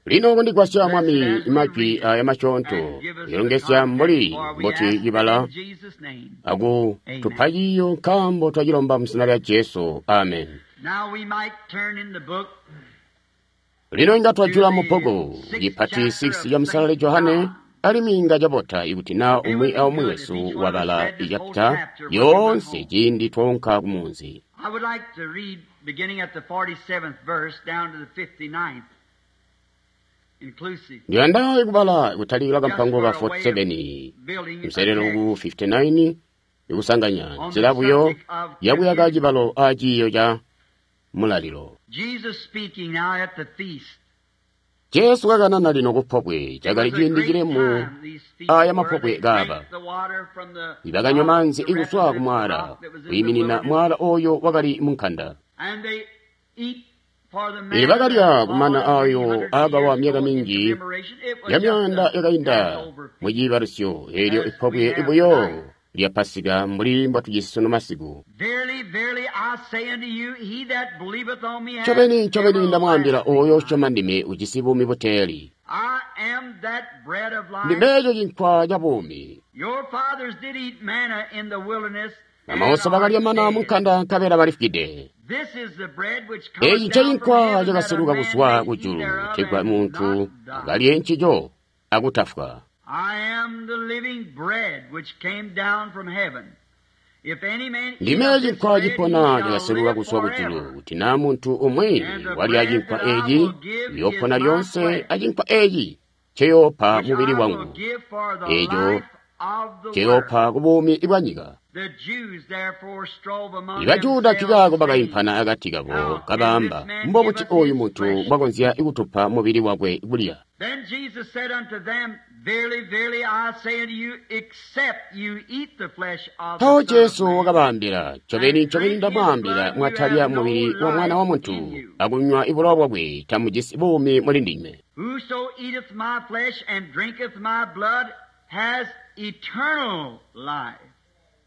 [SPEAKER 1] Lino kundigwasya, Mwami, majwi aya masyoonto, ilongezya mbuli mbuti cibala akutupa ciiyo, nkaambo twacilomba muzina lya Jesu. Amen. Lino inga twajula mubbuku cipati 6 ca Musalali Johane, alimwi inga cabota ikuti naa umwi aumwi wesu wabala icapita yoonse ciindi twaunka kumunzi. Ndiyanda kubala kutalikila kampango ka 47 mselelo ku 59, ikusanganya nzila buyo yakuyaka cibalo a ciiyo ca mulalilo. Jesu kakanana lino kupobwe, cakali ciindi cilemu aya mapobwe kaaba. Ibakanywa maanzi ikuzwa kumwaala, kwiiminina mwaala oyo wakali munkanda. Ili bakalya kumana ayo aakawa myaka minji ya myaanda yakainda mu ciibalusyo, eelyo ipobwe ibuyo lya Pasika mbuli mbotujisi sunu masiku. Ncobeni, ncobeni ndamwaambila, ooyo usyoma ndime ujisi buumi buteeli. Ndime cinkwa ca buumi. Bamauso bakalya mana munkanda nkabela balifwide. Eeci ncencinkwa cakaseluka kuzwa kujulu, kutegwa muntu akalye ncico akutafwa. Ndime cinkwa cipona cakaseluka kuzwa kujulu, kuti naa muntu umwi walya cinkwa eeci, uyoopona lyoonse, acinkwa eeci nceyoopa mubili wangu, eeco nceyoopa kubuumi bwanyika. Ibajuda nkikaako bakaimpana akati kabo, kabaamba, mbobuti ooyu muntu mbwakonzya kutupa mubili wakwe kulya? Mpawo Jesu wakabaambila, ncobeni, ncobeni ndamwaambila, mwatalya mubili wa Mwana wa Muntu akunywa bulowa bwakwe, tamujisi buumi muli ndinywe.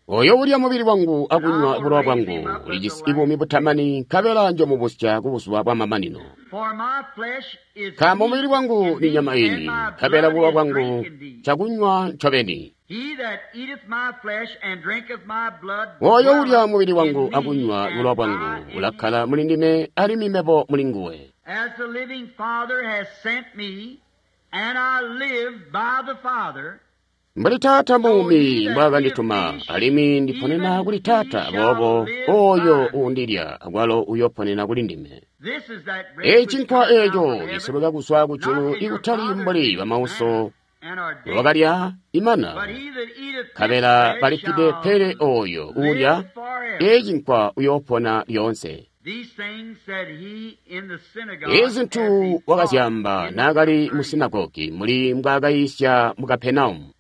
[SPEAKER 1] Oyo ulya mubili wangu akunywa bulowa bwangu ulijisi buumi butamani, nkabela njomubusya kubuzuba bwamamanino. Nkaambo mubili wangu ni nyama ini, nkabela bulowa bwangu cakunywa ncobeni. Oyo ulya mubili wangu akunywa bulowa bwangu ulakkala muli ndime alimwi mebo muli nguwe. Mbuli Taata muumi mbwaakandituma, alimwi ndiponena kuli Taata, aboobo oyo uundilya akwalo uyoponena kuli ndime. Eeci cinkwa eeco ciseluka kuzwa kujulu ikutali mbuli bamauso bakalya imana, nkabela balifwide, pele oyo uulya eeci cinkwa uyoopona lyoonse. Eezi zintu wakazyaamba naakali mu sinagogi muli mbwaakayiisya mu Kapenaumu.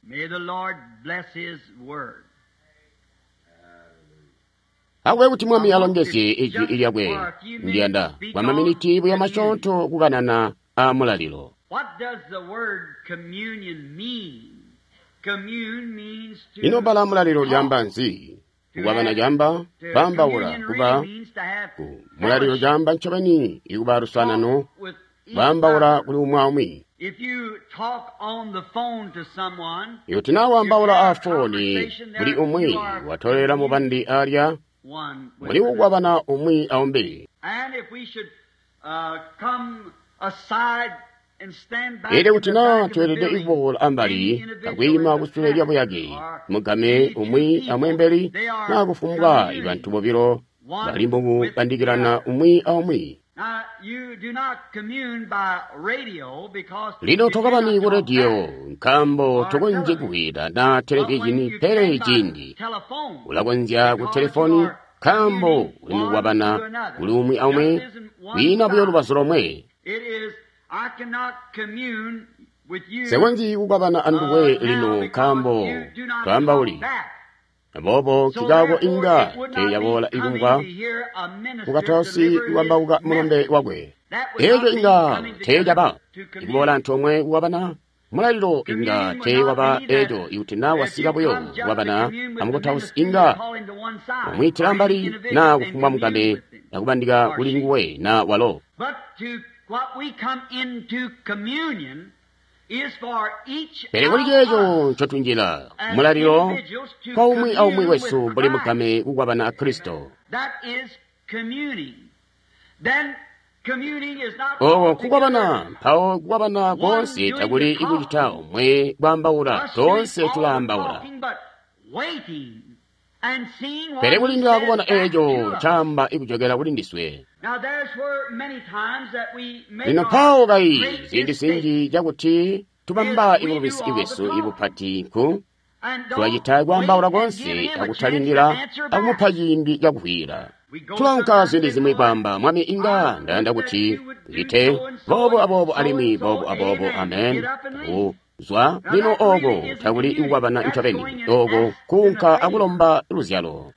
[SPEAKER 1] Akube kuti Mwami alongezye ijwi lyakwe. Ndiyanda kwa maminiti buya masyoonto kukanana aa mulalilo. Ino bbala mulalilo lyaamba nzi? Kukwabana caamba kwaambaula, kuba ku mulalilo caamba ncobeni ikuba luswaanano, kwaambaula kuli umwi aumwi. Ikuti naa waambaula aafooni kuli umwi, watolela mubandi alya, muli kukwabana umwi aumbi. Elyo kuti naa tweelede kuboola ambali akwiima kusule lyabuyake, mugame umwi amweembeli naa kufumbwa bantu bobilo bali mukubandikilana umwi aumwi. Lino tokabani ku rediyo nkaambo tokonzyi kuwida na televizhini, pele ciindi ulakonzya ku telefoni nkaambo uli mukukwabana kuli umwi aumwi, kwiina buyo lubazu lomwe. Nsekonzyi kukwabana anduwe lino nkaambo twaambauli. Aboobo nkikaako inga teeyaboola ikumvwa mukatausi kukwambauka mulumbe wakwe. Eeco inga teecaba ikuboola antoomwe kukwabana. Mulalilo inga teewaba eeco ikuti naa wasika buyo kukwabana amukutausi inga wamwiitila ambali naa kufumbwa mugame akubandika kuli nguwe naa walo. Pele kuli ceeco ncotunjila mulalilo kwa umwi aumwi wesu mbuli mugame kukwabana a Kristo. Oko nkukwabana, mpawo kukwabana koonse takuli ikucita omwe kwaambaula, toonse tulaambaula. Pele kulindila kubona eeco ncaamba ikujokela kuli ndiswe. Lino mpawo kayi ziindi zinji cakuti tubamba ibulubisi bwesu ibupati nku tulacita kwaambaula koonse akutalindila akumupa ciindi cakuvwiila. Tulaunka ziindi zimwi kwaamba, Mwami, inga ndayanda kuti ucite boobo aboobo alimwi boobo aboobo, amen. Kuzwa lino ooko takuli kukwabana ncobeni, ooko kuunka akulomba luzyalo.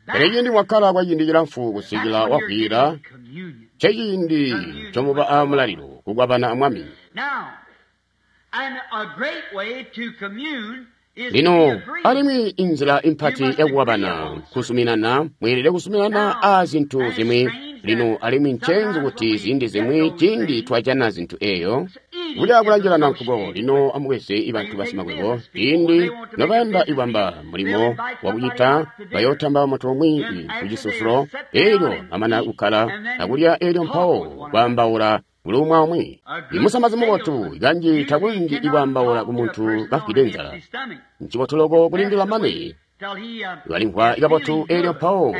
[SPEAKER 1] Pele ciindi mwakkala kwa ciindi cilamfu kusikila wavwiila, nceciindi ncomuba aamulalilo kukwabana a Mwami. Lino alimwi inzila impati yakukwabana nkuzuminana, mweelede kuzuminana aa zintu zimwi. Lino alimwi ncenzi kuti ziindi zimwi ciindi twajana zintu eeyo kulya kulanjilana nkuko. Lino amubweze ibantu basimakwebo, ciindi nobayanda ibamba mulimo wakucita, bayootamba muntu umwi kucisusulo, eelyo amana kukkala akulya, eelyo mpawo kwaambaula kuli umwi aumwi. Imusamazi mubotu kanji takunji ikwaambaula kumuntu kafwide nzala. Ncibotu loko kulindila mane balimvwa ikabotu, eelyo mpawo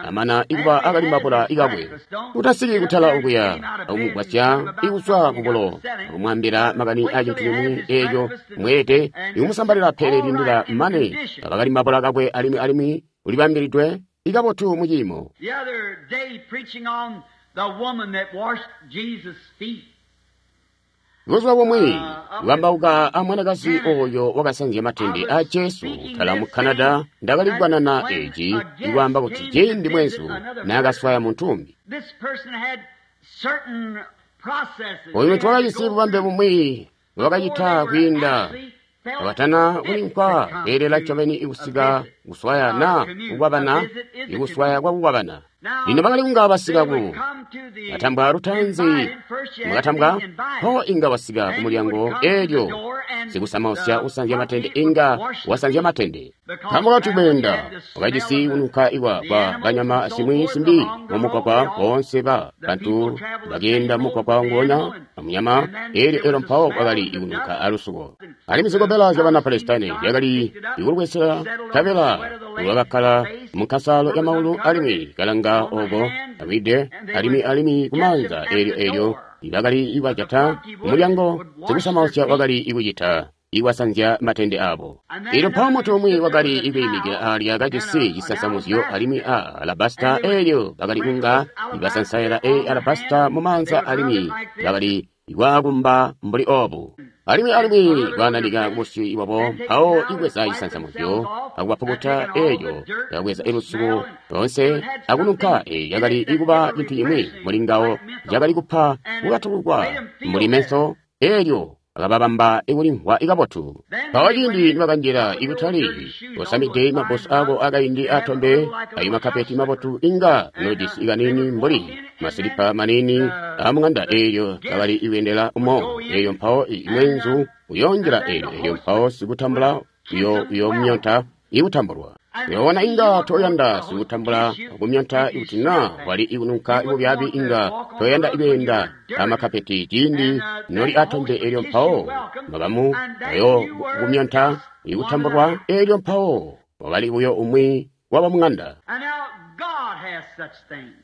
[SPEAKER 1] amana ikuba akalimbabula ikakwe. Utasiki kutala okuya akumugwasya ikuzwa kubulo akumwaambila makani acintu cimwi eeco mweelede ikumusambalila, pele lindila mane akakalimbabula kakwe alimwi alimwi ulibambilidwe ikabotu muciimo. Buzuba bumwi kukambauka a mwanakazi oyo wakasanzya matende a Jesu kutala mu Canada, ndakali kukanana eeci ikwaamba kuti ciindi mweenzu naakaswaya muntu umbi. Oyu muntu wakajisi bubambe bumwi bwakacita kwiinda abatana kulinkwa kweelela ncobeni ikusika kuswaya naa kukwabana, ikuswaya kwakukwabana. Lino bakali kunga basika ku Katambwa lutaanzi, mwakatambwa, mpawo inga wasika ku mulyango eelyo sikusamausya usanzya matende inga wasanzya matende. Nkaambo kati kweenda wakajisi kununka ikwa kwa banyama zimwi zimbi mumugwagwa boonse ba bantu bakeenda mumugwagwa nguonya amunyama eelyo elo mpawo kwakali ikununka alusuko. Alimwi zikobela zyabana Palestine zyakali ikulwesela nkabela lwakakkala munkasalo ya maulu alimwi kalanga oko awide alimwi kumaanza eelyo eelyo bakali ibajata kumulyango sikusamausya wakali ikucita iwasanzya matende abo. Eelyo mpawo muntu umwi wakali ikwiimikila alya kajisi cisansamuzyo alimwi a alabasta eelyo bakali kunga ibasansaila e alabasta mu maanza alimwi bakali ikwaakumba mbuli obu. Alimwi kwananika kubusyu bwabo mpawo ibweza cisansamuzyo akubapukuta eelyo yakabweza ilusuko loonse akununka eeyo yakali ikuba cintu cimwi muli ngawo cakali kupa kukatulukwa mbuli menso eelyo akababamba ikulimvwa ikabotu. Mpawo ciindi nibakanjila ikutali osamide mabbusu ako akaindi atombe ayo makapeti mabotu inga nojisi ikanini mbuli masilipa manini amung'anda eelyo kakali ikuyendela umo eelyo mpawo imwenzu uyoonjila eelyo eelyo mpawo sikutambula uyomyonta ikutambulwa. Uyoona inga toyanda sikutambula kumyonta ikuti naa wali ikununka ibubyaabi inga toyanda ikweenda amakapeti ciindi noli atombe eelyo mpawo makamu ayo kumyonta ikutambulwa eelyo mpawo wakali buyo umwi waba mung'anda.
[SPEAKER 2] And now God has such things.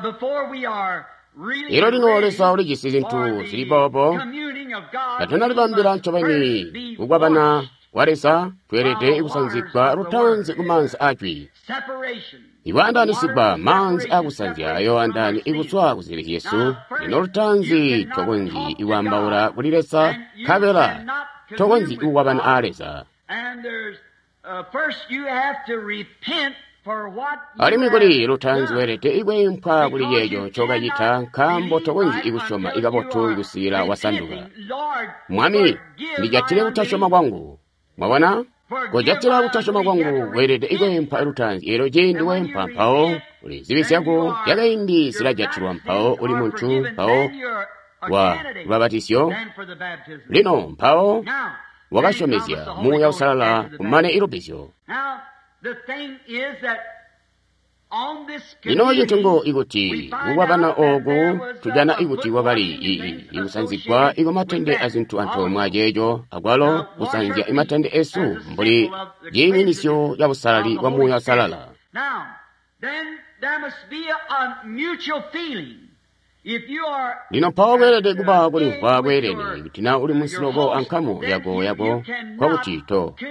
[SPEAKER 2] Before we are really
[SPEAKER 1] Elo lino
[SPEAKER 2] ready
[SPEAKER 1] Leza ulijisi zintu
[SPEAKER 2] for the
[SPEAKER 1] zili boobo
[SPEAKER 2] communing of God,
[SPEAKER 1] katunalibambila
[SPEAKER 2] we must
[SPEAKER 1] ncobeni
[SPEAKER 2] first be
[SPEAKER 1] kukwabana
[SPEAKER 2] washed.
[SPEAKER 1] kwa Leza tweelede kusanzigwa lutaanzi ku maanzi ajwi.
[SPEAKER 2] Separation.
[SPEAKER 1] Iwaandaanisigwa maanzi akusanzya ayo andaani ikuzwa ku zibi zyesu. Lino lutaanzi tokonzyi ikwaambaula kuli Leza nkabela tokonzyi ikukwabana aa Leza.
[SPEAKER 2] And there's first you have to repent for what you
[SPEAKER 1] Alimwi kuli
[SPEAKER 2] have
[SPEAKER 1] lutaanzi
[SPEAKER 2] done.
[SPEAKER 1] weelede ikweempwa kuli ceeco ncokacita nkaambo tokonzyi ikusyoma ikabotu ikusikila wasanduka. Mwami, ndijatile kutasyoma kwangu. Mwabona? Kujatila kutasyoma kwangu weelede ikweempwa lutaanzi eelyo ciindi weempwa mpawo uli zibi zyako zyakaindi zilajatilwa mpawo uli muntu mpawo wa lubabatisyo. Lino mpawo wakasyomezya Muuya Uusalala kumane ilubbizyo. Lino cintu ngo ikuti kukwabana ooku tujana ikuti wakali ikusanzigwa ikumatende azintu antoomwe aceeco akwalo kusanzya imatende esu mbuli ciiminisyo ca busalali bwa Muuya Uusalala.
[SPEAKER 2] Now, then there must be a mutual feeling. If you are
[SPEAKER 1] Lino mpawo kweelede kuba kulimvwa kweelene kuti naa uli munsiloko ankamu yako yako kwakuti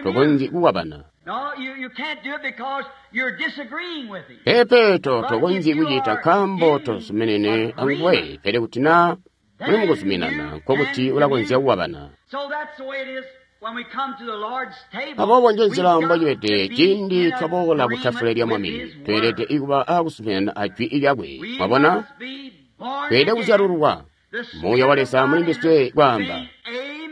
[SPEAKER 1] tokonzyi kukwabana.
[SPEAKER 2] No, you can't do it because you're disagreeing with him.
[SPEAKER 1] Pepe tokonzyi kucita nkaambo tozuminene anguwe pele kuti naa muli mukuzuminana nkokuti ulakonzya kukwabana.
[SPEAKER 2] So that's the way it is when we come to the Lord's table.
[SPEAKER 1] Aboobo nje nzila
[SPEAKER 2] We've got
[SPEAKER 1] mbocibede
[SPEAKER 2] to be
[SPEAKER 1] ciindi
[SPEAKER 2] in
[SPEAKER 1] twaboola ku tafule lya
[SPEAKER 2] agreement
[SPEAKER 1] Mwami
[SPEAKER 2] with His
[SPEAKER 1] tweelede
[SPEAKER 2] word.
[SPEAKER 1] ikuba akuzuminana ajwi lyakwe.
[SPEAKER 2] We
[SPEAKER 1] Mwabona?
[SPEAKER 2] must be born
[SPEAKER 1] Tweelede
[SPEAKER 2] again.
[SPEAKER 1] kuzyalululwa.
[SPEAKER 2] The
[SPEAKER 1] Muuya wa
[SPEAKER 2] Spirit
[SPEAKER 1] Leza
[SPEAKER 2] of
[SPEAKER 1] muli
[SPEAKER 2] God
[SPEAKER 1] ndiswe
[SPEAKER 2] is
[SPEAKER 1] kwaamba.
[SPEAKER 2] saying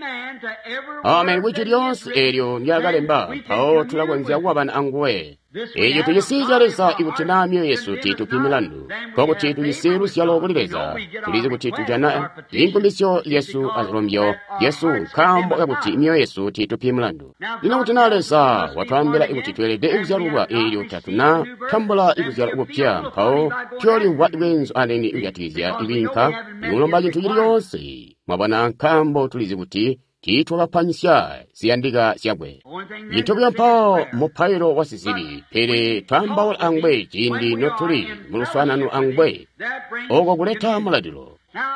[SPEAKER 2] amen to every
[SPEAKER 1] Amen
[SPEAKER 2] word
[SPEAKER 1] kwijwi
[SPEAKER 2] that is
[SPEAKER 1] lyonse
[SPEAKER 2] written.
[SPEAKER 1] eelyo ndyaakalemba
[SPEAKER 2] Then we can
[SPEAKER 1] mpawo
[SPEAKER 2] commune
[SPEAKER 1] tulakonzya
[SPEAKER 2] with
[SPEAKER 1] kukwabana anguwe.
[SPEAKER 2] This we
[SPEAKER 1] Eeco
[SPEAKER 2] have
[SPEAKER 1] tucisi
[SPEAKER 2] of
[SPEAKER 1] ca
[SPEAKER 2] God
[SPEAKER 1] Leza
[SPEAKER 2] if our
[SPEAKER 1] ikuti naa
[SPEAKER 2] hearts
[SPEAKER 1] myoyo yesu
[SPEAKER 2] condemn us
[SPEAKER 1] tiitupi
[SPEAKER 2] not,
[SPEAKER 1] milandu
[SPEAKER 2] then we
[SPEAKER 1] nkokuti
[SPEAKER 2] have
[SPEAKER 1] tujisi
[SPEAKER 2] favor with
[SPEAKER 1] luzyalo
[SPEAKER 2] God.
[SPEAKER 1] kuli
[SPEAKER 2] We
[SPEAKER 1] Leza
[SPEAKER 2] know we get our
[SPEAKER 1] tulizi kuti
[SPEAKER 2] requests,
[SPEAKER 1] tujana
[SPEAKER 2] our petitions,
[SPEAKER 1] inkumbisyo lyesu
[SPEAKER 2] because
[SPEAKER 1] azilombyo
[SPEAKER 2] that our
[SPEAKER 1] lyesu
[SPEAKER 2] hearts
[SPEAKER 1] nkaambo
[SPEAKER 2] condemn us
[SPEAKER 1] kakuti
[SPEAKER 2] not.
[SPEAKER 1] myoyo yesu tiitupi mulandu.
[SPEAKER 2] Now
[SPEAKER 1] Lino
[SPEAKER 2] God
[SPEAKER 1] kuti naa
[SPEAKER 2] tells us
[SPEAKER 1] Leza
[SPEAKER 2] we must be born
[SPEAKER 1] watwaambila ikuti
[SPEAKER 2] again,
[SPEAKER 1] tweelede
[SPEAKER 2] and we
[SPEAKER 1] ikuzyalulwa
[SPEAKER 2] have not
[SPEAKER 1] eelyo
[SPEAKER 2] received
[SPEAKER 1] tatuna
[SPEAKER 2] the new birth,
[SPEAKER 1] tambula
[SPEAKER 2] then
[SPEAKER 1] ikuzyalwa
[SPEAKER 2] we'll
[SPEAKER 1] kupya
[SPEAKER 2] feel a little
[SPEAKER 1] mpawo
[SPEAKER 2] funny by going after
[SPEAKER 1] tuyolimvwa
[SPEAKER 2] him.
[SPEAKER 1] ibwenzu anene
[SPEAKER 2] See,
[SPEAKER 1] ikujatikizya
[SPEAKER 2] because we know
[SPEAKER 1] ibinka
[SPEAKER 2] we haven't met his
[SPEAKER 1] ikulomba cintu cili
[SPEAKER 2] requirements.
[SPEAKER 1] coonse. Mwabona nkaambo tulizi kuti tiitwakapanisya ziyandika zyakwe.
[SPEAKER 2] Only thing
[SPEAKER 1] Cintu buyo
[SPEAKER 2] necessary is
[SPEAKER 1] mpawo
[SPEAKER 2] prayer.
[SPEAKER 1] mupailo wa
[SPEAKER 2] But
[SPEAKER 1] sizibi pele
[SPEAKER 2] we
[SPEAKER 1] twaambaula
[SPEAKER 2] talk with
[SPEAKER 1] angwe
[SPEAKER 2] him when
[SPEAKER 1] ciindi
[SPEAKER 2] we are
[SPEAKER 1] notuli
[SPEAKER 2] in
[SPEAKER 1] mu luswaanano
[SPEAKER 2] fellowship with him.
[SPEAKER 1] angwe
[SPEAKER 2] That brings
[SPEAKER 1] oko kuleta
[SPEAKER 2] communion.
[SPEAKER 1] mulalilo.
[SPEAKER 2] Now,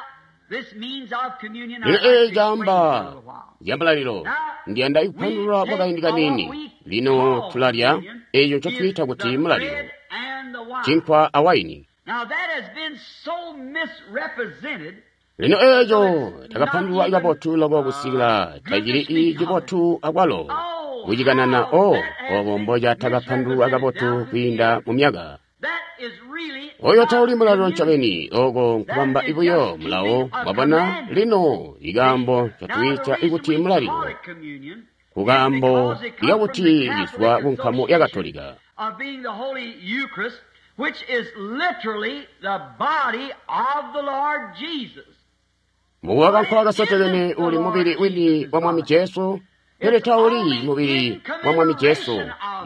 [SPEAKER 2] this means of communion
[SPEAKER 1] Lino
[SPEAKER 2] I'd like
[SPEAKER 1] eeci
[SPEAKER 2] to explain
[SPEAKER 1] caamba
[SPEAKER 2] for a little while.
[SPEAKER 1] zya mulalilo
[SPEAKER 2] Now,
[SPEAKER 1] ndiyanda
[SPEAKER 2] we
[SPEAKER 1] ikupandulula
[SPEAKER 2] take
[SPEAKER 1] kwakaindi
[SPEAKER 2] or what
[SPEAKER 1] kanini.
[SPEAKER 2] we
[SPEAKER 1] Lino
[SPEAKER 2] call
[SPEAKER 1] tulalya
[SPEAKER 2] communion
[SPEAKER 1] eeco
[SPEAKER 2] is
[SPEAKER 1] ncotwiita kuti
[SPEAKER 2] the
[SPEAKER 1] mulalilo,
[SPEAKER 2] bread and the wine.
[SPEAKER 1] cinkwa awayini.
[SPEAKER 2] Now that has been so misrepresented
[SPEAKER 1] Lino
[SPEAKER 2] so
[SPEAKER 1] eeco
[SPEAKER 2] it's not
[SPEAKER 1] takapandululwa
[SPEAKER 2] even
[SPEAKER 1] kabotu loko kusikila
[SPEAKER 2] good to
[SPEAKER 1] tacili
[SPEAKER 2] speak of it.
[SPEAKER 1] cibotu akwalo
[SPEAKER 2] Oh,
[SPEAKER 1] kucikanana
[SPEAKER 2] how
[SPEAKER 1] o
[SPEAKER 2] that has
[SPEAKER 1] obo
[SPEAKER 2] been
[SPEAKER 1] mbocatakapandululwa
[SPEAKER 2] misrepresented
[SPEAKER 1] kabotu
[SPEAKER 2] down through the
[SPEAKER 1] kwiinda
[SPEAKER 2] years.
[SPEAKER 1] mu myaka.
[SPEAKER 2] That is really
[SPEAKER 1] Oyo
[SPEAKER 2] not
[SPEAKER 1] tauli mulalilo
[SPEAKER 2] communion.
[SPEAKER 1] ncobeni oko nkubamba
[SPEAKER 2] That is
[SPEAKER 1] ibuyo
[SPEAKER 2] just
[SPEAKER 1] mulawo
[SPEAKER 2] keeping a
[SPEAKER 1] mwabona
[SPEAKER 2] commandment.
[SPEAKER 1] lino
[SPEAKER 2] See?
[SPEAKER 1] ikaambo
[SPEAKER 2] Now the
[SPEAKER 1] ncotwiita
[SPEAKER 2] reason
[SPEAKER 1] ikuti
[SPEAKER 2] we call
[SPEAKER 1] mulalilo
[SPEAKER 2] it communion is
[SPEAKER 1] kukaambo
[SPEAKER 2] because it comes from the
[SPEAKER 1] ikakuti
[SPEAKER 2] Catholic
[SPEAKER 1] lizwa ku nkamu ya
[SPEAKER 2] Association
[SPEAKER 1] Katolika.
[SPEAKER 2] of being the Holy Eucharist. which is literally the body of the Lord Jesus.
[SPEAKER 1] Mukuwa kankwa kasotekene uli mubili wini wa Mwami Jesu, pele tauli mubili wa Mwami Jesu,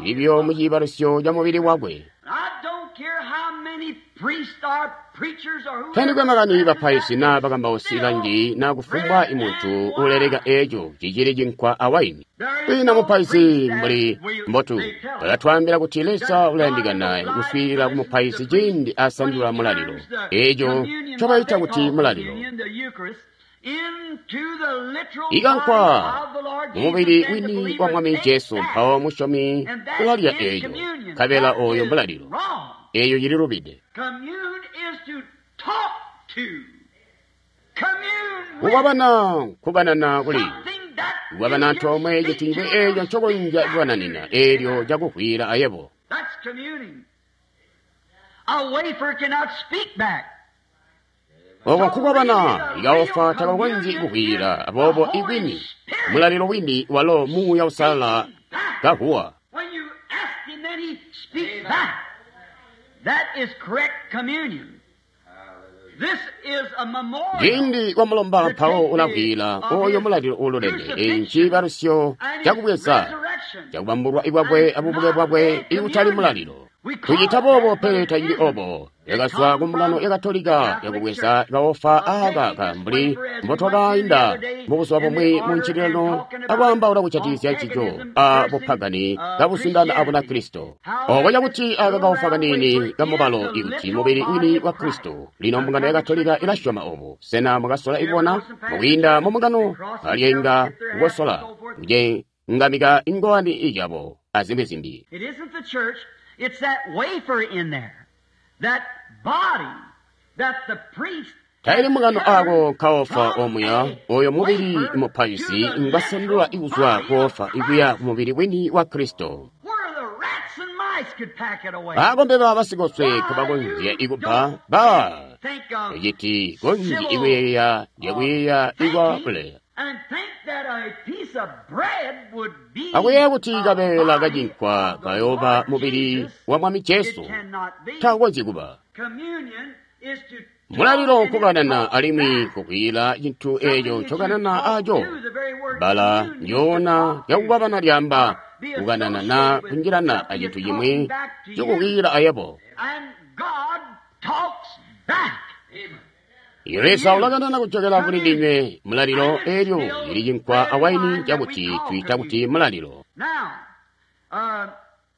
[SPEAKER 1] ilibyo mu ciibalusyo ca mubili wakwe.
[SPEAKER 2] I don't care how many priests or preachers or whoever
[SPEAKER 1] Tandikwe makani bapaizi naa bakambausi banji naa kufumbwa imuntu uleleka eeco cicili cinkwa awaini. Kwiina mupaizi mbuli mbotu balatwaambila kuti Leza ulayandikana kuswiilila ku mupaizi ciindi asandula mulalilo, eeco ncobaita kuti mulalilo. Ikankwa mumubili wini wa Mwami Jesu, mpawo musyomi ulalya eeco, nkabela ooyo mulalilo. Eeyo cililubide.
[SPEAKER 2] Commune is to talk to. Commune with
[SPEAKER 1] Kukwabana nkubanana kuli
[SPEAKER 2] something that you
[SPEAKER 1] kukwabana
[SPEAKER 2] can
[SPEAKER 1] antoomwe
[SPEAKER 2] speak
[SPEAKER 1] citingwe
[SPEAKER 2] to
[SPEAKER 1] eeco
[SPEAKER 2] or
[SPEAKER 1] ncokonzya
[SPEAKER 2] speak
[SPEAKER 1] kubananina
[SPEAKER 2] back to.
[SPEAKER 1] eelyo cakuhwila ayebo.
[SPEAKER 2] That's communing. A wafer cannot speak back.
[SPEAKER 1] Oko nkukwabana ikaofa takakonzyi kuhwila aboobo ikwini mulalilo wini walo Muuya Usalala kahuwa.
[SPEAKER 2] When you ask him, then he speaks back. That is correct communion. This is a memorial.
[SPEAKER 1] Ciindi wamulomba mpawo ulahwila oyo mulalilo uululeme eyi nciibalusyo cakubweza cakubambulwa ikwakwe abubuke bwakwe ikutali mulalilo. Tucita boobo pele tacili obo. Yakazwa ku mbungano ya Katolika yakubweza kaofa aaka ka mbuli mbotwakainda mubuzuba bumwi mu ncililano akwaambaula kujatikizya ncico a bupagani kabusindana a Bunakristo. Oko cakuti aaka kaofa kaniini kamubalo ikuti mubili wini wa Kristo. Lino mbungano ya Katolika ilasyoma obo. Sena mukasola ibona? Mukwiinda mu mbungano alyenga kukosola kucengamika ingowani ijabo azimbi zimbi.
[SPEAKER 2] It isn't the church, it's that wafer in there, that body that the priest
[SPEAKER 1] Taili mukano ako kaofa omuya oyo mubili mupaizi ngwasandula ikuzwa kuofa ikuya ku mubili wini wa Kristo.
[SPEAKER 2] where the rats and mice could pack it away.
[SPEAKER 1] Akombe ba basikoswe kabakonzya ikuba ba
[SPEAKER 2] Think of
[SPEAKER 1] eciti konzi ikuyeeya lyakuyeeya ikwa buleya.
[SPEAKER 2] and think that a piece of bread would be
[SPEAKER 1] Akuyeeya kuti
[SPEAKER 2] a
[SPEAKER 1] kabeela
[SPEAKER 2] body
[SPEAKER 1] kacinkwa
[SPEAKER 2] of the
[SPEAKER 1] kayooba
[SPEAKER 2] Lord
[SPEAKER 1] mubili
[SPEAKER 2] Jesus.
[SPEAKER 1] wa Mwami Jesu
[SPEAKER 2] It cannot be.
[SPEAKER 1] takonzyi kuba.
[SPEAKER 2] Communion is to
[SPEAKER 1] Mulalilo
[SPEAKER 2] talk and
[SPEAKER 1] nkukanana
[SPEAKER 2] talk
[SPEAKER 1] alimwi
[SPEAKER 2] back.
[SPEAKER 1] kukwila cinthu eco ncokanana aco.
[SPEAKER 2] To the very word
[SPEAKER 1] Bala
[SPEAKER 2] commune means to
[SPEAKER 1] njoona
[SPEAKER 2] talk to.
[SPEAKER 1] lyakukwabana lyamba
[SPEAKER 2] Be
[SPEAKER 1] kukanana na
[SPEAKER 2] associated with
[SPEAKER 1] kunjilana
[SPEAKER 2] something
[SPEAKER 1] acinthu
[SPEAKER 2] that's
[SPEAKER 1] chimwe
[SPEAKER 2] talking back to you.
[SPEAKER 1] cikukwila ayebo.
[SPEAKER 2] And God talks back.
[SPEAKER 1] Leza ulakanana kuchokera kuli ndinywe mulalilo elyo lili chinkwa awaini chakuti tuita kuti mulalilo.
[SPEAKER 2] Now,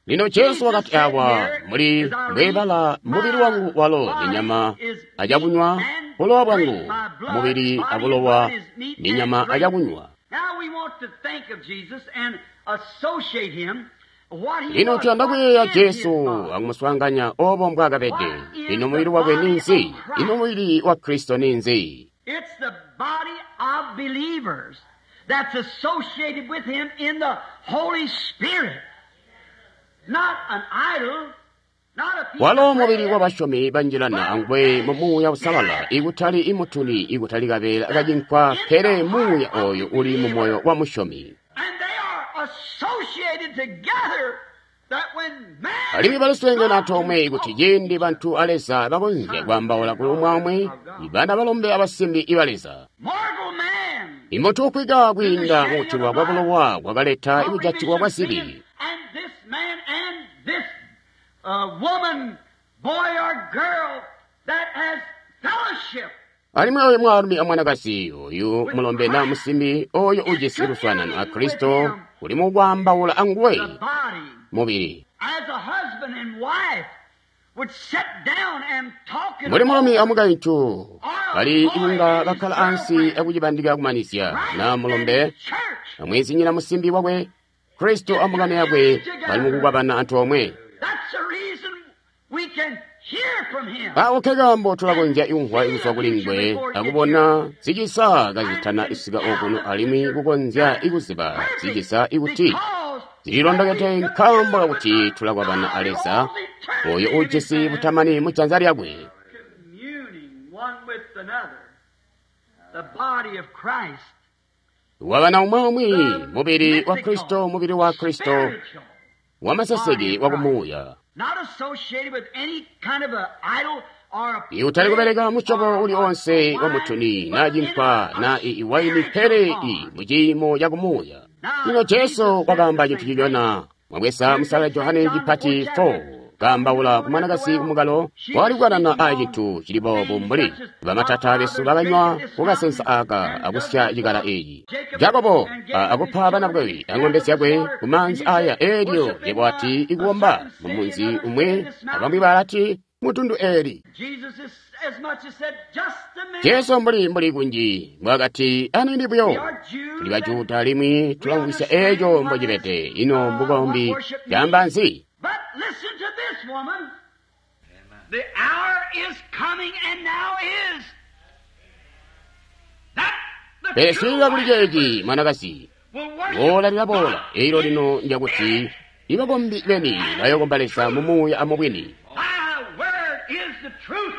[SPEAKER 1] Lino Jesu wakati awa muli mbwebala mubili wangu walo ni nyama achakunywa, bulowa bwangu mubili abulowa ni nyama achakunywa.
[SPEAKER 2] now we want to think of Jesus and associate him what he
[SPEAKER 1] Lino
[SPEAKER 2] was.
[SPEAKER 1] tuyanda
[SPEAKER 2] What
[SPEAKER 1] kuyeeya
[SPEAKER 2] is his
[SPEAKER 1] Jesu
[SPEAKER 2] body?
[SPEAKER 1] akumuswaanganya obo mbwakabede. Ino mubili wakwe ninzi? Ino mubili wa Kristo ninzi?
[SPEAKER 2] It's the body of believers that's associated with him in the Holy Spirit. Not an idol, not a piece
[SPEAKER 1] Walo
[SPEAKER 2] of
[SPEAKER 1] mubili
[SPEAKER 2] bread.
[SPEAKER 1] wa basyomi banjilana angwe mu Muuya Usalala ikutali imutuni ikutali kabeela kacinkwa pele Muuya oyo uli mu moyo wa musyomi.
[SPEAKER 2] And they are associated together that when man
[SPEAKER 1] Alimwi baliswengene antoomwe kuti ciindi bantu a Leza bakonzya kwaambaula kuli umwi ibana balombe abasimbi iba Leza.
[SPEAKER 2] mortal man
[SPEAKER 1] Imutu ukwika kwiinda mukutilwa kwa bulowa kwakaleta ikujatikwa kwa zibi.
[SPEAKER 2] And this man and this woman, boy or girl that has fellowship
[SPEAKER 1] Alimwi oyo mwaalumi amwanakazi oyu mulombe na musimbi oyo ujisi luswaanano a Kristo uli mukwaambaula anguwe
[SPEAKER 2] the body
[SPEAKER 1] mubili.
[SPEAKER 2] as a husband and wife would sit down and talk it
[SPEAKER 1] Mbuli mulumi
[SPEAKER 2] over.
[SPEAKER 1] amukaintu bali ikunga bakkala ansi akucibandika kumanizya
[SPEAKER 2] Right
[SPEAKER 1] na
[SPEAKER 2] in
[SPEAKER 1] mulombe
[SPEAKER 2] the church.
[SPEAKER 1] amwezinyina musimbi wakwe Kristo amukame yakwe bali mukukwabana antoomwe.
[SPEAKER 2] That's the reason we can hear from him.
[SPEAKER 1] Awo kekambo tulakonzya ikumvwa ikuzwa kuli ngwe akubona zicisa kazitana isika okuno alimwi kukonzya ikuziba zicisa ikuti
[SPEAKER 2] Because
[SPEAKER 1] zililondokete nkambo kakuti tulakwabana a Leza oyo ujisi butamani mu janza lyakwe.
[SPEAKER 2] communing one with another, the body of Christ,
[SPEAKER 1] Wabana umwe mubili wa
[SPEAKER 2] mythical,
[SPEAKER 1] Kristo mubili wa Kristo
[SPEAKER 2] spiritual
[SPEAKER 1] wamaseseke wa kumuuya. Ikutali kubeleka musyobo uli onse wa mutuni na cinkwa na iwaini pele i muciimo cakumuuya. Lino Jesu wakaamba cintu cilyona mwabweza musala Johane cipati 4 kaambaula kumwanakazi kumukalo wali kukanana a cintu cili boobu mbuli bamatata besu bakanywa kukasensa aka akusya cikala eeci. Jakobo akupa bana bakwe ang'ombe zyakwe kumaanzi aya eelyo yebo ati ikuwomba mumunzi umwe abamwi balati mutundu eli. Jesu mbuli kunji mbwakati anini buyo tuli bajuda alimwi tulamvwisya eeco mbocibede ino mbukombi caamba nzi.
[SPEAKER 2] But listen to this woman. The hour is coming and now is. That the
[SPEAKER 1] Pele
[SPEAKER 2] true
[SPEAKER 1] swiilila kuli ceeci
[SPEAKER 2] worshipers
[SPEAKER 1] mwanakazi
[SPEAKER 2] will worship
[SPEAKER 1] boola lilaboola
[SPEAKER 2] God
[SPEAKER 1] eilo
[SPEAKER 2] in
[SPEAKER 1] lino njakuti ibakombi beni bayokomba Leza mumuuya amubwini.
[SPEAKER 2] Thy word is the truth.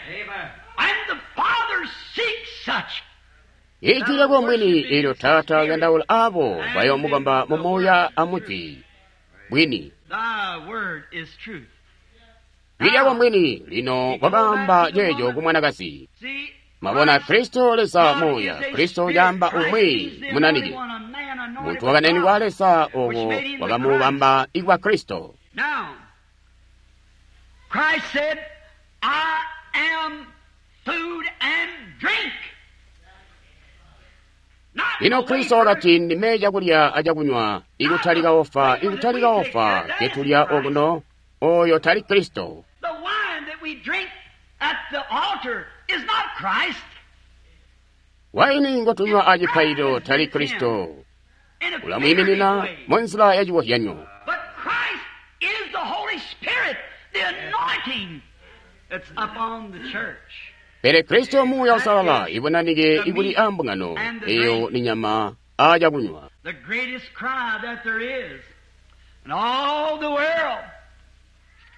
[SPEAKER 2] Amen. And the Father seeks such.
[SPEAKER 1] Ijwi lyako mwini eelyo Taata uyandaula abo bayoomukomba mumuuya amujwi bwini.
[SPEAKER 2] Thy word is truth.
[SPEAKER 1] Jwi lyako mwini lino wakaamba ceeco kumwanakazi.
[SPEAKER 2] See,
[SPEAKER 1] Mwabona Kristo Leza
[SPEAKER 2] God
[SPEAKER 1] muuya,
[SPEAKER 2] is a
[SPEAKER 1] Kristo
[SPEAKER 2] spirit.
[SPEAKER 1] yaamba
[SPEAKER 2] Christ
[SPEAKER 1] umwi
[SPEAKER 2] is the
[SPEAKER 1] munanike.
[SPEAKER 2] anointed one, a man anointed
[SPEAKER 1] Muntu
[SPEAKER 2] by
[SPEAKER 1] wakananirwa
[SPEAKER 2] God.
[SPEAKER 1] Leza owo wakamubamba ikwa Kristo.
[SPEAKER 2] Now, Christ said, I am food and drink. Not
[SPEAKER 1] Lino
[SPEAKER 2] the
[SPEAKER 1] Kristo
[SPEAKER 2] wafer.
[SPEAKER 1] wakati ndime chakulya achakunywa ikutali kaofa ikutali kaofa ketulya okuno oyo tali Kristo.
[SPEAKER 2] The wine that we drink at the altar is not Christ.
[SPEAKER 1] Waini ngotunywa achipailo tali Kristo.
[SPEAKER 2] In a
[SPEAKER 1] Ulamwiminina
[SPEAKER 2] figurative way.
[SPEAKER 1] munzila ya chiwohyanyo.
[SPEAKER 2] But Christ is the Holy Spirit, the anointing that's upon the church.
[SPEAKER 1] Pele Kristo muuya usalala ibonanike ikuli ambungano eyo ni nyama achakunywa.
[SPEAKER 2] The greatest cry that there is in all the world.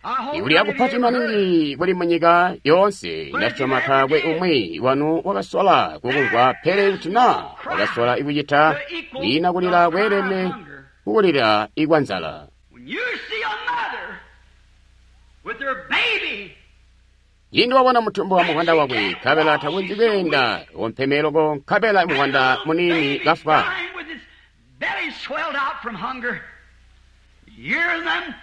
[SPEAKER 2] I hope
[SPEAKER 1] Ikuli
[SPEAKER 2] none of
[SPEAKER 1] akupati
[SPEAKER 2] you ever heard.
[SPEAKER 1] maningi kuli munyika yonse ndasyoma taakwe umwi wanu wakasola kukumvwa pele kuti na wakasola ikucita kwina kulira kweelene kukulira ikwa nzala.
[SPEAKER 2] When you see a mother with her baby,
[SPEAKER 1] Yindi wabona mutumbu wa muhanda wakwe nkabela takunji kuyenda wompemeloko nkabela
[SPEAKER 2] and
[SPEAKER 1] muhanda
[SPEAKER 2] the little
[SPEAKER 1] munini
[SPEAKER 2] baby
[SPEAKER 1] kafwa.
[SPEAKER 2] dying with its belly swelled out from hunger, hear them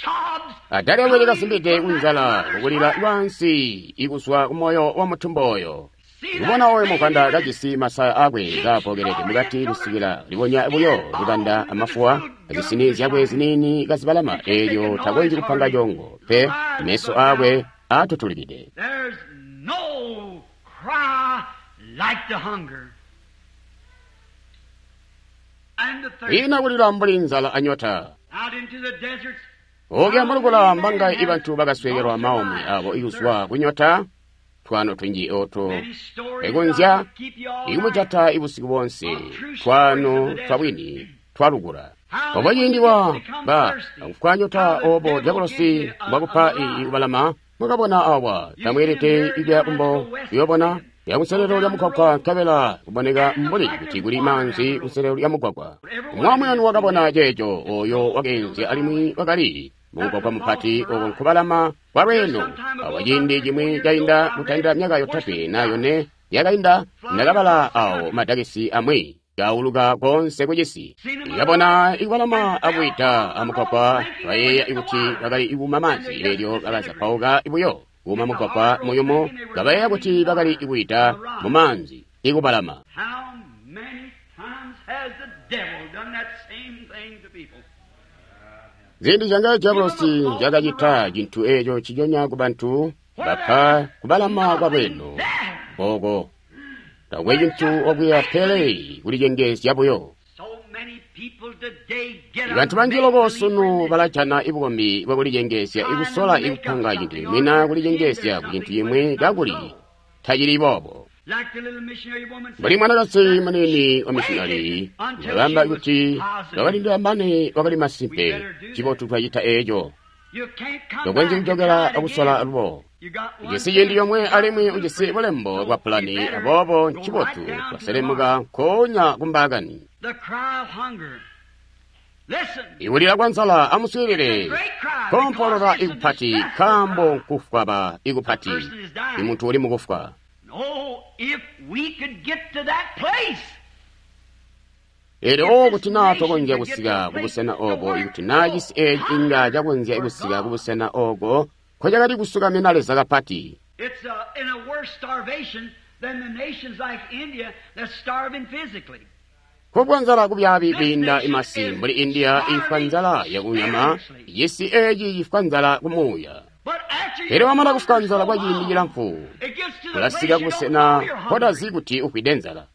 [SPEAKER 2] sobs
[SPEAKER 1] Adali akwete
[SPEAKER 2] coming
[SPEAKER 1] kasimbide
[SPEAKER 2] from that
[SPEAKER 1] kunzala
[SPEAKER 2] mother's
[SPEAKER 1] kukulira
[SPEAKER 2] heart.
[SPEAKER 1] lwansi ikuswa kumoyo wa mutumbu oyo.
[SPEAKER 2] See that
[SPEAKER 1] Kubona oyo
[SPEAKER 2] baby
[SPEAKER 1] muhanda
[SPEAKER 2] with its
[SPEAKER 1] kajisi masaya akwe kapokelede mukati kusikila libonya buyo lukanda amafuwa azisini zyakwe zinini kazibalama eelyo takonji kupanga chongo pe meso akwe atutulikide.
[SPEAKER 2] There's no cry like the hunger and the thirst.
[SPEAKER 1] Ina kulira mbuli nzala anyota.
[SPEAKER 2] Out into the deserts,
[SPEAKER 1] Okya mulukula mbanga ibantu bakaswekelwa maumi abo ikuswa kunyota twano twinji oto
[SPEAKER 2] many stories
[SPEAKER 1] ekunzya
[SPEAKER 2] I could keep you all night.
[SPEAKER 1] ikumujata ibusiku bonse twano twabwini twalukula
[SPEAKER 2] How
[SPEAKER 1] obo
[SPEAKER 2] the
[SPEAKER 1] ciindi
[SPEAKER 2] wicked
[SPEAKER 1] wa
[SPEAKER 2] become
[SPEAKER 1] ba
[SPEAKER 2] thirsty.
[SPEAKER 1] akufwanyota
[SPEAKER 2] How the
[SPEAKER 1] obo
[SPEAKER 2] devil gives
[SPEAKER 1] diabolosi
[SPEAKER 2] you a, a
[SPEAKER 1] bwakupa
[SPEAKER 2] lie.
[SPEAKER 1] ikubalama mwakabona awa
[SPEAKER 2] You see
[SPEAKER 1] tamweelede
[SPEAKER 2] him there
[SPEAKER 1] ikuya
[SPEAKER 2] down
[SPEAKER 1] kumbo
[SPEAKER 2] at the west
[SPEAKER 1] kuyobona
[SPEAKER 2] end.
[SPEAKER 1] ya
[SPEAKER 2] Go
[SPEAKER 1] kuselelo lya
[SPEAKER 2] down the
[SPEAKER 1] mugwagwa
[SPEAKER 2] road.
[SPEAKER 1] nkabela kuboneka
[SPEAKER 2] And it looks
[SPEAKER 1] mbuli
[SPEAKER 2] like
[SPEAKER 1] kuti
[SPEAKER 2] there's
[SPEAKER 1] kuli
[SPEAKER 2] water down
[SPEAKER 1] manzi
[SPEAKER 2] the road.
[SPEAKER 1] kuselelo lya mugwagwa
[SPEAKER 2] But every one of
[SPEAKER 1] umwamwi
[SPEAKER 2] you
[SPEAKER 1] wanu
[SPEAKER 2] has seen
[SPEAKER 1] wakabona
[SPEAKER 2] that.
[SPEAKER 1] ceeco oyo wakeenzya alimwi wakali
[SPEAKER 2] That's
[SPEAKER 1] mugwagwa
[SPEAKER 2] a
[SPEAKER 1] mupati
[SPEAKER 2] false
[SPEAKER 1] oko
[SPEAKER 2] mirage.
[SPEAKER 1] nkubalama kwa
[SPEAKER 2] Here
[SPEAKER 1] lweno
[SPEAKER 2] some time ago,
[SPEAKER 1] awa
[SPEAKER 2] about
[SPEAKER 1] ciindi
[SPEAKER 2] 3 or 4
[SPEAKER 1] cimwi
[SPEAKER 2] years ago,
[SPEAKER 1] cainda
[SPEAKER 2] I read
[SPEAKER 1] kutandila myaka yotatwe
[SPEAKER 2] Worship
[SPEAKER 1] na
[SPEAKER 2] God.
[SPEAKER 1] yone yakainda
[SPEAKER 2] Flying
[SPEAKER 1] ndakabala
[SPEAKER 2] across the
[SPEAKER 1] awo
[SPEAKER 2] country.
[SPEAKER 1] madakisi amwi kauluka konse kucisi
[SPEAKER 2] Seen them
[SPEAKER 1] ikabona
[SPEAKER 2] arrive
[SPEAKER 1] ikubalama
[SPEAKER 2] and fell
[SPEAKER 1] akuita
[SPEAKER 2] on the road
[SPEAKER 1] amugwagwa
[SPEAKER 2] thinking they were
[SPEAKER 1] bayeeya
[SPEAKER 2] in the
[SPEAKER 1] ikuti
[SPEAKER 2] water.
[SPEAKER 1] bakali ikuma
[SPEAKER 2] And
[SPEAKER 1] maanzi
[SPEAKER 2] they just
[SPEAKER 1] eelyo
[SPEAKER 2] disintegrated.
[SPEAKER 1] bakazapauka ibuyo kuma
[SPEAKER 2] Hit the
[SPEAKER 1] mugwagwa
[SPEAKER 2] hard road
[SPEAKER 1] muyumu
[SPEAKER 2] thinking they were
[SPEAKER 1] kabayeeya
[SPEAKER 2] drowning
[SPEAKER 1] kuti
[SPEAKER 2] in
[SPEAKER 1] bakali
[SPEAKER 2] water
[SPEAKER 1] ikuita
[SPEAKER 2] on the rock.
[SPEAKER 1] mu maanzi ikubalama.
[SPEAKER 2] How many times has the devil done that same thing to people?
[SPEAKER 1] Zindi zanga
[SPEAKER 2] Give them a
[SPEAKER 1] diabolosi
[SPEAKER 2] false
[SPEAKER 1] jakacita
[SPEAKER 2] mirage
[SPEAKER 1] chinthu echo chichonya ku bantu
[SPEAKER 2] where
[SPEAKER 1] bapha
[SPEAKER 2] there is
[SPEAKER 1] kubalama kwa
[SPEAKER 2] nothing
[SPEAKER 1] bwino
[SPEAKER 2] there
[SPEAKER 1] koko takwe
[SPEAKER 2] but
[SPEAKER 1] chinthu
[SPEAKER 2] just
[SPEAKER 1] okwiya
[SPEAKER 2] make
[SPEAKER 1] pele
[SPEAKER 2] believe.
[SPEAKER 1] kulichengezya buyo.
[SPEAKER 2] So many people today get a
[SPEAKER 1] Bantu banji
[SPEAKER 2] make
[SPEAKER 1] loko
[SPEAKER 2] believe
[SPEAKER 1] sunu
[SPEAKER 2] religion,
[SPEAKER 1] balajana ibukombi bwakulichengezya
[SPEAKER 2] trying to
[SPEAKER 1] ikusola
[SPEAKER 2] make up
[SPEAKER 1] ikuphanga chinthu
[SPEAKER 2] something or
[SPEAKER 1] imwina
[SPEAKER 2] pretend there's
[SPEAKER 1] kulichengezya ku chinthu
[SPEAKER 2] something when
[SPEAKER 1] chimwe
[SPEAKER 2] it's not
[SPEAKER 1] kakuli
[SPEAKER 2] so.
[SPEAKER 1] tachili bobo.
[SPEAKER 2] Like the little missionary woman
[SPEAKER 1] Mbuli
[SPEAKER 2] said,
[SPEAKER 1] mwanakazi
[SPEAKER 2] that
[SPEAKER 1] munini
[SPEAKER 2] she
[SPEAKER 1] wa missionary
[SPEAKER 2] waited until
[SPEAKER 1] wakamba
[SPEAKER 2] she was
[SPEAKER 1] kuti
[SPEAKER 2] positive.
[SPEAKER 1] wakalindira mbane wakali
[SPEAKER 2] We
[SPEAKER 1] masimpe
[SPEAKER 2] better do that.
[SPEAKER 1] chibotu twachita echo
[SPEAKER 2] You can't come
[SPEAKER 1] tokwenzi
[SPEAKER 2] back and
[SPEAKER 1] kuchokera
[SPEAKER 2] try it
[SPEAKER 1] akusola
[SPEAKER 2] again.
[SPEAKER 1] lubo.
[SPEAKER 2] You got one
[SPEAKER 1] Ujisi ciindi
[SPEAKER 2] chance,
[SPEAKER 1] yomwe
[SPEAKER 2] you got a
[SPEAKER 1] alimwi ujisi
[SPEAKER 2] blueprint.
[SPEAKER 1] bulembo
[SPEAKER 2] So
[SPEAKER 1] bwa
[SPEAKER 2] you
[SPEAKER 1] pulani
[SPEAKER 2] better
[SPEAKER 1] aboobo
[SPEAKER 2] go right
[SPEAKER 1] nchibotu
[SPEAKER 2] down to the
[SPEAKER 1] twaselemuka
[SPEAKER 2] mark.
[SPEAKER 1] nkoonya kumbaakani.
[SPEAKER 2] The cry of hunger.
[SPEAKER 1] Ikulila kwa nzala, amuswiilile, kompolola ikupati, nkaambo nkufwaba ikupati, imuntu uli mukufwa. Elyo kuti naa tokonzya kusika kubusena obo, ikuti naa cisi eeci inga cakonzya kusika kubusena oko nkocakali kusukamina Leza kapati. Kufwa nzala kubyaabi kwiinda imasi mbuli India ifwa nzala yakunyama, cisi eeci cifwa nzala kumuuya. Pele wamana kufwa nzala kwa ciindi cilamfu, ulasika kubusena mpotazi kuti ufwide nzala.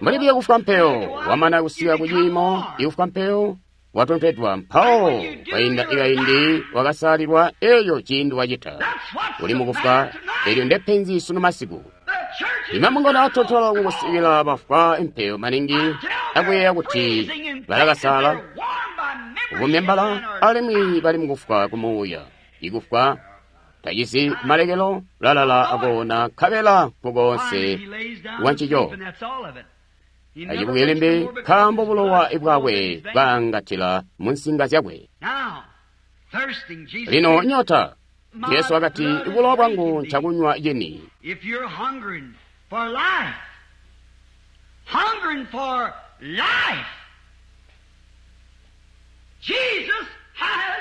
[SPEAKER 1] Mbuli biyo kufwa mpeyo, wamana kusika kuciimo ikufwa mpeyo, watontedwa mpawo kwainda ikaindi wakasalilwa eyo ciindi wacita. Uli mukufwa, elyo ndepenzi sunu masiku. Imamungano atontola kukusikila bafwa impeyo maningi akuyeeya kuti balakasala ubumembala alimwi bali mukufwa kumuuya. Ikufwa tacisi malekelo lalala akoona nkabela nkukoonse wancico. Acibuke limbi nkaambo bulowa bwakwe bwaangatila mu nsinga zyakwe. Lino nyota, Jesu wakati, bulowa bwangu ncakunywa cini.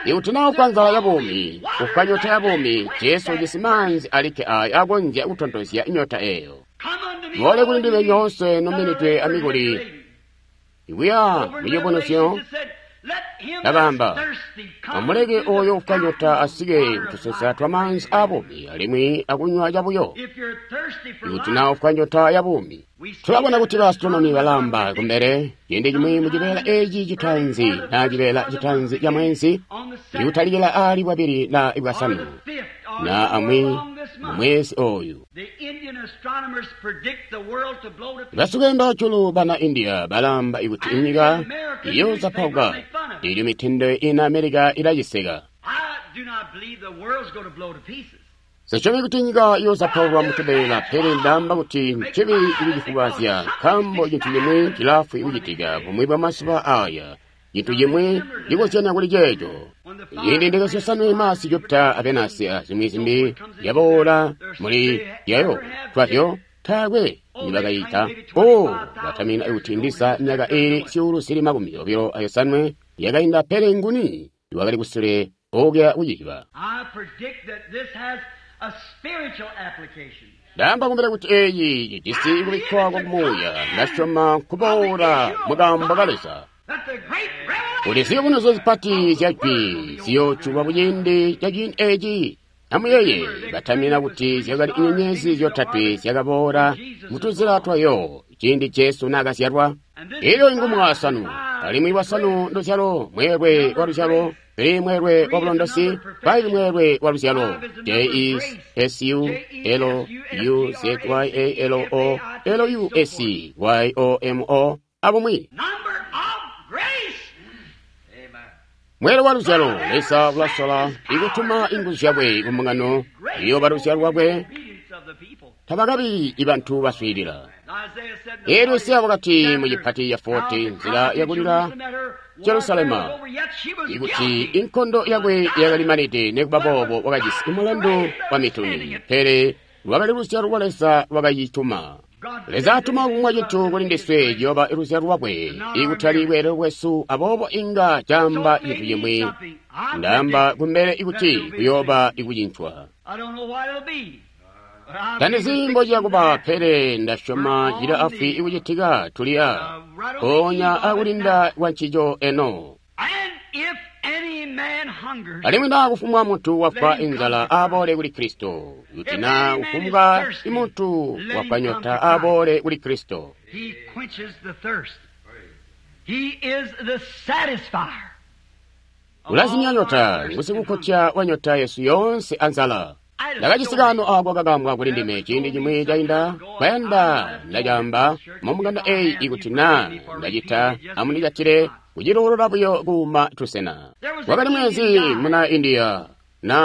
[SPEAKER 1] Ikuti naa ufwa nzala ya buumi, ufwa nyota ya buumi, Jesu ujisi maanzi alikke aaya akonzya kutontozya nyota eyo. Mboole kuli ndime nyoonse nomenedwe amikuli, ikuya mucibonusyo, ndakaamba, amuleke oyo ufwa nyota asike kutusensa twa maanzi a buumi alimwi akunywa cabuyo. Ikuti naa ufwa nyota ya buumi, tulabona kuti baastronomi balamba kumbele ciindi cimwi mucibeela eci citaanzi naa cibeela citaanzi ca mwezi, ikutalikila aali bwabili na bwasanu na amwi mu mwezi oyu. Basukenda julu bana India balamba ikuti inyika iyozapauka, ilyo mitindo ina Amerika ilaciseka. Sisyomi kuti nyika iyozapaulwa mutubeela, pele ndaamba kuti ncibi ikucifubazya, nkaambo cintu cimwi cilafwi kucitika bumwi bwa mazuba aya, cintu cimwi cikozyanya kuli ceeco. Ciindi ndeke zyosanwe Masi, Jupita a Venasi a zimwi zimbi yaboola muli yayo twazyo taakwe nibakayita. O batamina kuti ndiza myaka iili 225 yakainda, pele nguni wakali kusule okuya kuciziba. Ndaamba kumbele kuti eyi ijisi kubikkwa kwa kumuuya, ndasyoma kuboola mukaambo ka Leza. Kuti ziyubunuzyo zipati zya jwi ziyoojulwa kuciindi ca ciindi eci. Amuyeeye, batamina kuti zyakali nyenyezi zyotatwe zyakaboola mutuzila twayo ciindi Jesu naakazyalwa. Elyo ingumu wasanu, alimwi wasanu nduzyalo, mweelwe wa luzyalo, pili mweelwe wa bulondosi, 5 mweelwe wa luzyalo, J E S U L U Z Y A L O L U S Y O M O abumwi. Mweelwe wa luzyalo, Leza ulasola ikutuma inguzu zyakwe kumbungano iyoba luzyalo lwakwe, tabakabi ibantu baswiilila. Elyo Isaya wakati mu cipati ya 40 nzila yakulila Jerusalema, ikuti inkondo yakwe yakalimanide, nekuba boobo wakajisi mulandu wa mituni, pele lwakali luzyalo lwa Leza lwakayituma. Leza atuma kumwa cintu kuli ndiswe ciyoba luzyalo lwakwe, ikutali bweelelo bwesu, aboobo inga caamba cintu cimwi. Ndaamba kumbele ikuti kuyooba ikucincwa. Tandizi mbociya kuba, pele ndasyoma cili afwi ikucitika tuli a mpoonya akulinda kwa ncico eno. Alimwi naa kufumbwa muntu wafwa inzala aboole kuli Kristo, kuti naa kufumbwa imuntu wafwa nyota aboole kuli Kristo. Ulazimya nyota, ngusikukotya wa nyota yesu yoonse anzala. Ndakajisi kaano ako kakambwa kuli ndime ciindi cimwi cainda, kwayanda ndacaamba mumunganda eyi ikuti naa ndacita amundicatile kucilulula buyo kuuma tusena. Wakali mwezi muna India na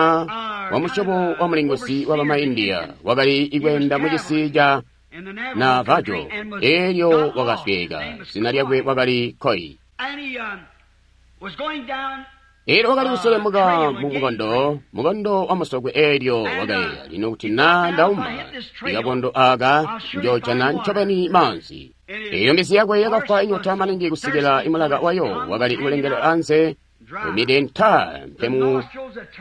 [SPEAKER 1] wamusyobo wa mulinguzi wa bama India wakali ikweenda mucisi ca Navajo, elyo wakasweeka. Zina lyakwe wakali Koi. Elyo wakali kuselemuka mu mukondo, mukondo wa musokwe, elyo wakayeeya, lino kuti na ndauma ikakondo aka njojana ncobeni maanzi. Eyo mbizi yakwe yakafwa inyota maningi kusikila imulaka wayo wakali kulengela anze umide nta mpemu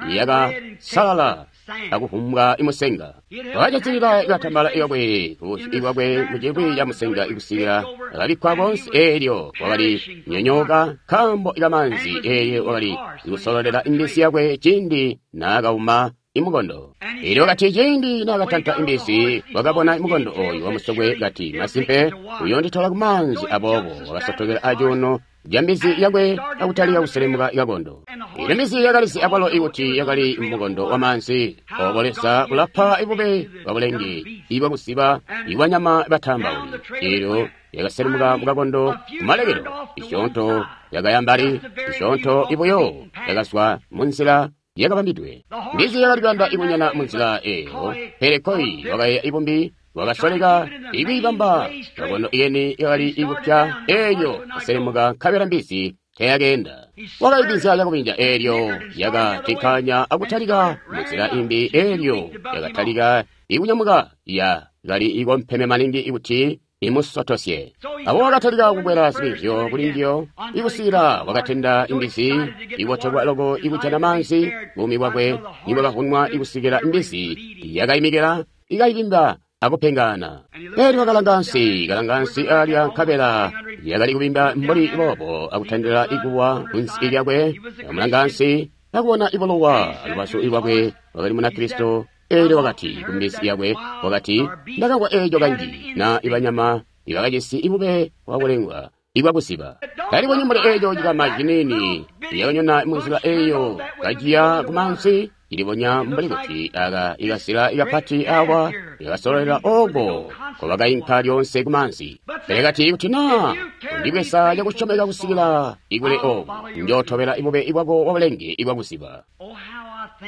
[SPEAKER 1] yakasalala akuvumbwa imusenga. Wakajatilila ikatambala ikakwe ikwakwe mucilwi ca musenga ikusikila akabikkwa konse. Elyo wakali nyonyoka nkambo ikamanzi, elyo wakali kusololela imbizi yakwe ciindi naakauma imukondo. Elyo kati ciindi naakatanta imbizi, wakabona imukondo oyu wamusokwe, kati masimpe uyonditola kumanzi. Aboobo wakasotokela acuuno ca mbizi yakwe akutalika kuselemuka ikakondo. Elyo mbizi yakalizi akwalo ikuti yakali mukondo wa maanzi. Obo Leza ulapa ibube bwabulenge ibwakusiba ibwanyama batambauli. Elyo yakaselemuka mukakondo kumalekelo, isyoonto yakayambali, isyoonto ibuyo yakazwa munzila yakabambidwe. Mbizi yakali kuyanda ikunyana munzila eyo, pele Koi wakayeeya ibumbi, wakasoleka ikwiibamba kakondo iyeni yakali ikupya. Elyo kaselemuka nkabela mbizi teyakeenda. Wakaibinzya cakubinja, elyo yakatikanya akutalika munzila imbi. Elyo yakatalika ikunyamuka, yakali ikompeme maningi ikuti imusotosye. Abo wakatalika kukwela zibinzyo kuli njiyo ikusikila wakatenda imbizi ibotelwa loko ikujana maanzi. Buumi bwakwe nibwakavunwa ikusikila imbizi yakaimikila ikayibimba akupengana. Elyo wakalanga ansi, kalanga ansi alya, nkabela yakali kubimba mbuli boobo akutandila ikuwa kunsi lyakwe. Akamulanga ansi akubona ibulowa lubazu lwakwe, wakali Munakristo. Elyo wakati kumbizi yakwe, wakati, ndakamvwa eeco kanji na ibanyama ibakajisi ibube bwakulengwa ibwakusiba. Talibonyi mbuli eeco cikama ciniini yakanyona munzila eyo kaciya kumansi, ilibonya mbuli kuti aka ikasila ikapati awa yakasololela oko kobakainka lyonse kumansi. Pele kati kuti na undibweza cakusyomeka kusikila ikule oku, njootobela ibube ibwako bwabulenge ibwakusiba.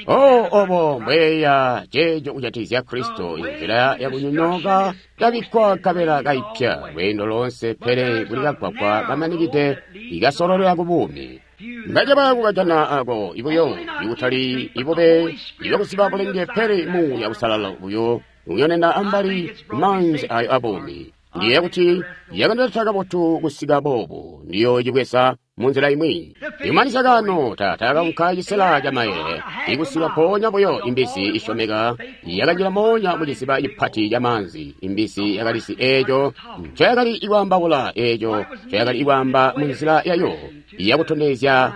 [SPEAKER 1] Oh, obo mbweya ceeco kujatikizya Kristo, inzila yakunyonyooka yabikkwa nkabela kaipya lweendo loonse, pele kuli kagwagwa kamanikide ikasololela ku buumi. Ngacaba kukajana ako ibuyo ikutali ibube ibwakusiba bulenge, pele Muuya Uusalala buyo uyonena ambali kumanzi ayo abuumi. Ndiyeeya kuti yakandileta kabotu kusika boobu, ndiyoocibweza munzila imwi. Imanisa kano tata kaunka cisela ca mayele ikusika mpoonya buyo imbizi isyomeka yakanjila moonya mu ciziba cipati ca maanzi. Imbizi yakalisi eeco ncoyakali ikwaambaula, eeco ncoyakali ikwaamba munzila yayo yakutondezya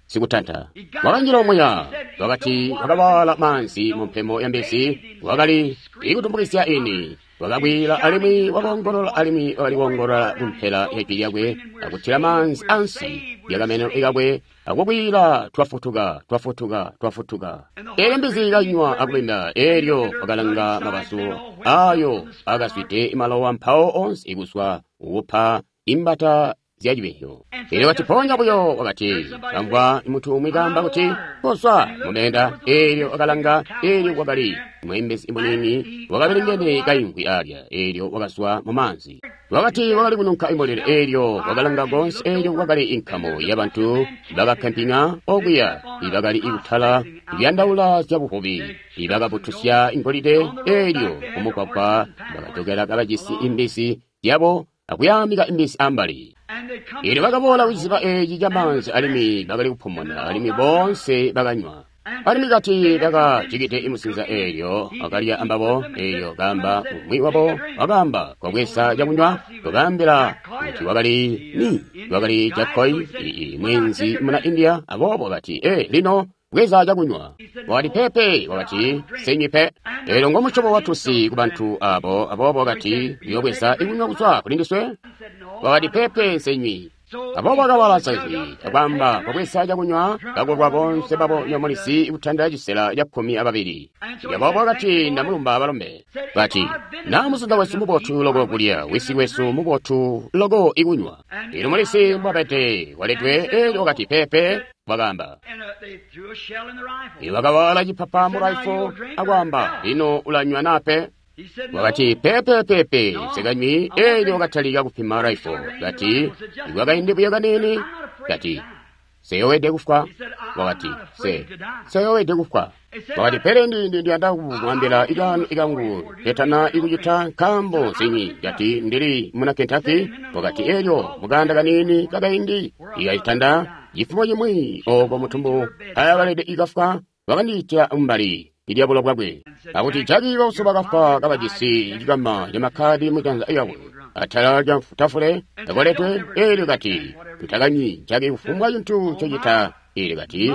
[SPEAKER 1] sikutanta. Wakanjila omuya, wakati wakawaala maanzi mu mpemo ya mbizi, wakali ikutumbukizya ini. Wakabwila alimwi wakoongolola alimwi wakali koongolola kumpela ya jwi lyakwe akutila maanzi ansi lyakameno kakwe akubwila, twafutuka, twafutuka, twafutuka. Elyo mbizi kanywa akubinda. Elyo wakalanga mabazu ayo akazwide malowa mpawo onse ikuzwa kupa imbata zya cibinyo. Elyo kati ponya buyo wakati kamvwa mutu umwi kaamba kuti kozwa mumenda. Elyo wakalanga, elyo kwakali mweembezi munini wakabelengene kaimvwi alya. Elyo wakazwa mu maanzi. Wakati wakali kununka imbolele. Elyo wakalanga konse, elyo kwakali inkamu yabantu bakakampinga okuya ibakali ikutala kuyandaula zyabuvubi ibakabutusya ingolide. Elyo kumugwagwa bakajokela kabajisi imbizi yabo akuyamika imbizi ambali. Elyo bakaboola kuciziba eeci ca maanzi alimwi bakali kupumuna, alimwi boonse bakanywa. Alimwi kati bakajikide imusinza, eelyo akalya ambabo. Eelyo kaamba umwi wabo wakaamba kwabweza cakunywa, wakaambila kuti wakali ni wakali Jakoi, mwenzi muna India. Aboobo kati, lino bweza cakunywa. Wakati pepe, wakati senywi pe. Eelyo ngomusyobo watusi kubantu abo. Aboobo kati uyobweza ikunywa kuzwa kuli ndiswe. Wakati pepe, senywi. Aboobo wakawala saizwi akwaamba kwabweza cakunywa, kakolwa bonse babo nyomulisi kutanda cisela ca 12. Aboobo wakati ndamulumba balombe. Kati na musinza wesu mubotu loko kulya, wisi wesu mubotu loko ikunywa. Eelyo mulisi mbwabede waletwe. Eelyo wakati pepe, wakaamba. Wakawala cipapa mu rifle akwaamba, lino ulanywa nape. Wakati, pepepepe, nsekanywi. Elyo wakatalika kupima raifo. Kati, ikwakaindi buyo kaniini. Kati, seyowede kufwa. Wakati, seyowede kufwa. Wakati, pele ndiyanda kumwambila ikangu ketana ikucita nkambo nsinywi. Kati, ndili muna Kentucky. Wakati, elyo mukanda kaniini kakaindi ikacitanda cifumo cimwi oko mutumbu ayakalede ikafwa, wakandiitila mbali ilyabulo bwakwe. Akuti Jaki bauso bakafwa kabajisi cikama camakkadi mujanza yakwe atala lya tafule akoledwe. Elyo kati, tutakanywi Jaki kufumbwa cintu ncocita. Elyo kati,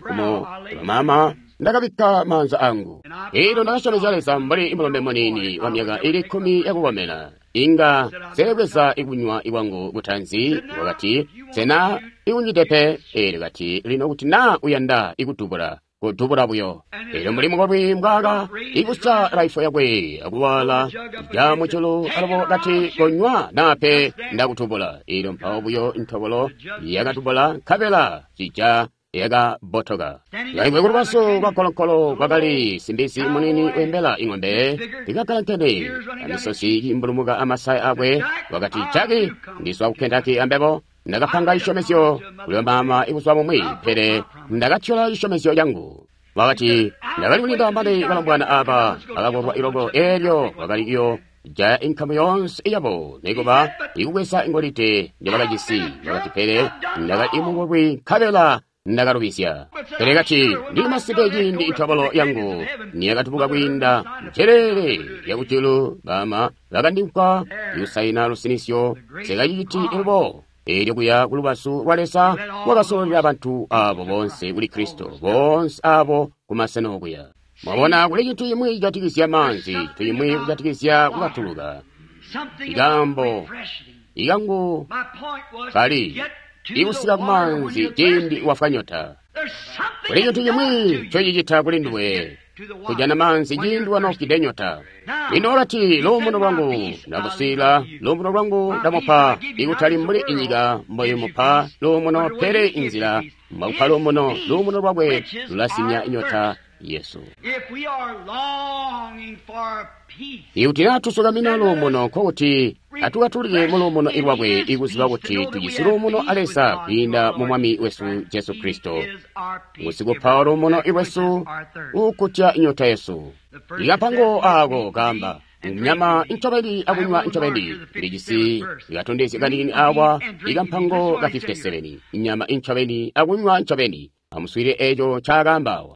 [SPEAKER 1] kumo mama ndakabikka maanza angu. Elyo ndakasyomezya Leza mbuli mulombe muniini wa myaka ili 10 yakukomena, inga seebweza ikunywa ikwangu kutanzi. Wakati, sena ikunywide pe. Elyo kati, lino kuti na uyanda ikudubula, kudubula buyo. Elyo mbuli mukolwi mbwaka ikusa raifo yakwe akuwala ja muculu alobo kati, konywa nape ndakutubula. Elyo mpawo buyo ntobolo yakatubula, nkabela cija yakabotoka. Kaimwe kulubazu lwa nkolonkolo kwakali simbizi munini wembela ing'ombe ikakalankene amisosi imbulumuka amasaya akwe. Wakati, Jaki, ndizwa ku Kentucky ambebo. Ndakapanga cisyomezyo kuli mama ibuzuba bumwi, pele ndakatyola cisyomezyo cangu. Wakati, ndakali kulinda mane balombwana aba bakakolwa iloko. Elyo wakali iyo jaya inkamu yonse yabo nikuba ikubweza ingolide njebakajisi. Wakati, pele ndakali imukolwi nkabela ndakalubisya. Pele kati, ndili masimpe ciindi intobolo yangu niyakatubuka kwiinda njelele yakujulu, bama bakandimpa ikusaina lusinisyo sekaciciti ilubo. Elyo kuya kulubazu lwa Leza wakasololela bantu abo bonse kuli Kristo, bonse abo kumasena okuya. Mwabona, kuli cintu cimwi cijatikizya maanzi, cintu cimwi kujatikizya kukatuluka. Ikambo ikangu kali ikusika kumaanzi ciindi wafwa nyota. Kuli cintu cimwi ncocicita kuli nduwe kujana maanzi ciindi wanofwide nyota. Lino wakati, luumuno lwangu ndamusiila, luumuno lwangu ndamupa, ikutali mbuli inyika mboimupa luumuno, pele inzila mwakupa luumuno. Luumuno lwakwe lulasimya nyota yesu. Ikuti naa tusukamina luumuno, nkokuti atukatulike muluumuno ilwakwe, ikuziba kuti tujisi luumuno a Leza kwiinda mu Mwami wesu Jesu Kristo. Ngusikupa luumuno ilwesu uukutya nyota yesu. Ikapango aako kaamba nyama ncobeni akunywa ncobeni. Ndijisi ikatondezya kaniini awa ikampango ka 57, inyama incobeni akunywa ncobeni. Amuswile eco ncaakaamba awa.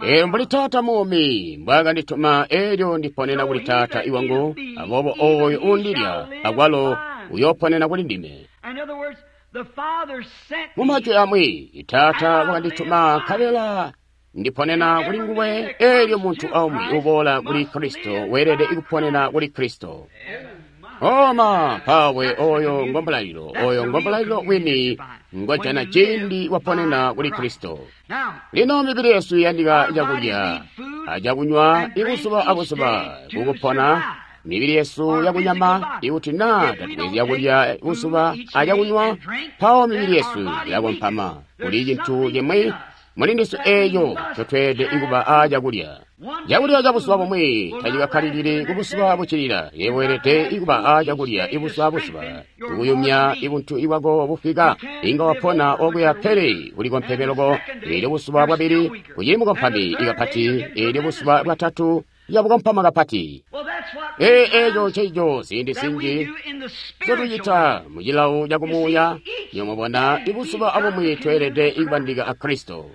[SPEAKER 1] Elyo mbuli Taata muumi mbwaakandituma, elyo ndiponena kuli Taata iwangu, aboobo ooyo uundilya akwalo uyooponena kuli ndime. Mumajwi amwi, Taata wakandituma nkabela ndiponena kuli nguwe. Elyo muntu aumwi uboola kuli Kristo weelede kuponena kuli Kristo. Oma pawe oyo ngombulalilo, oyo ngombulalilo wini ngojana ciindi waponena kuli Kristo. Lino mibili yesu iyandika cakulya acakunywa ibuzuba abuzuba kukupona. Mibili yesu yakunyama, ikuti naa tatubwezi cakulya buzuba acakunywa, mpawo mibili yesu ilakompama. Kuli cintu cimwi muli ndiswe eeco ncotweelede kuba aacakulya. Cakulya ca buzuba bumwi tacikakkalilili kubuzuba buccilila. Yebo weelede kuba aacakulya ibuzuba buzuba kukuyumya ibuntu bwako bufwika. Inga wapona okuya, pele ulikompeme loko. Eelyo buzuba bwabili ucili mukompami kapati, eelyo buzuba bwatatu yabukompama kapati. Eeco nceico ziindi zinji ncotucita mucilawo cakumuuya. Nyomubona, ibuzuba abumwi tweelede kubandika a Kristo.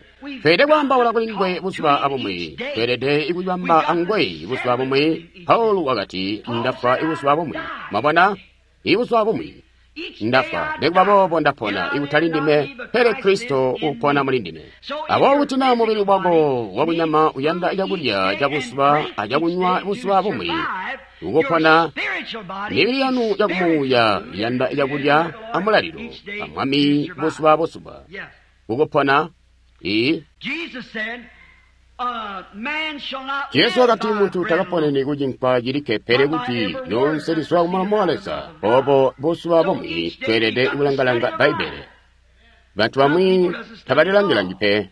[SPEAKER 1] Tweelede kwaambaula kuli nguwe buzuba abumwi. Tweelede kubamba anguwe buzuba bumwi. Paulo wakati, ndafwa ibuzuba bumwi. Mwabona, ibuzuba bumwi ndafwa, nikuba boobo ndapona, ikutali ndime, pele Kristo upona muli ndime. Aboobo kuti naa mubili wako wakunyama uyanda cakulya cabuzuba acakunywa buzuba bumwi ukupona, mibili yanu yakumuuya iyanda cakulya amulalilo amwami buzuba buzuba kukupona. Jesu wakati, muntu takaponeni kucinkwa cilikke, pele kuti lyonse lizwa kumulomo wa Leza. Obo buzuba bumwi tweelede kulangalanga Bbaibbele. Bantu bamwi tabalilangilangi pe.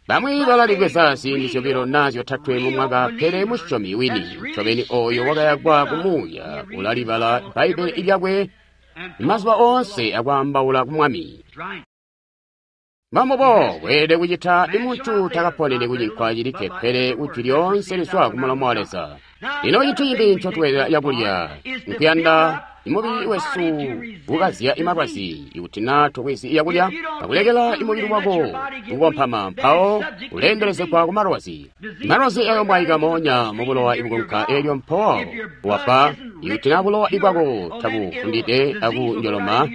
[SPEAKER 1] Bamwi balalibweza ziindi zyobilo naa zyotatwe mu mwaka, pele musyomi wini ncobeni ooyo wakayakwa kumuuya ulalibala Bbaibbele lyakwe mazuba oonse akwaambaula ku Mwami. Mbambubo bweelede kucita imuntu takaponeni kucinkwa cilikke pele kujwi lyoonse lizwa kumulomo wa Leza. Lino cintu cimbi ncotweela cakulya nkuyanda imubili wesu kukazya imalwazi. Ikuti naa tobwezi yakulya akulekela imubili wako kukompama, mpawo uleendelezegwa ku malwazi. Malwazi ayomwaika moonya mubulowa ibukunka eelyo mpawo wafwa. Ikuti naa bulowa ibwako tabufundide akunjoloma,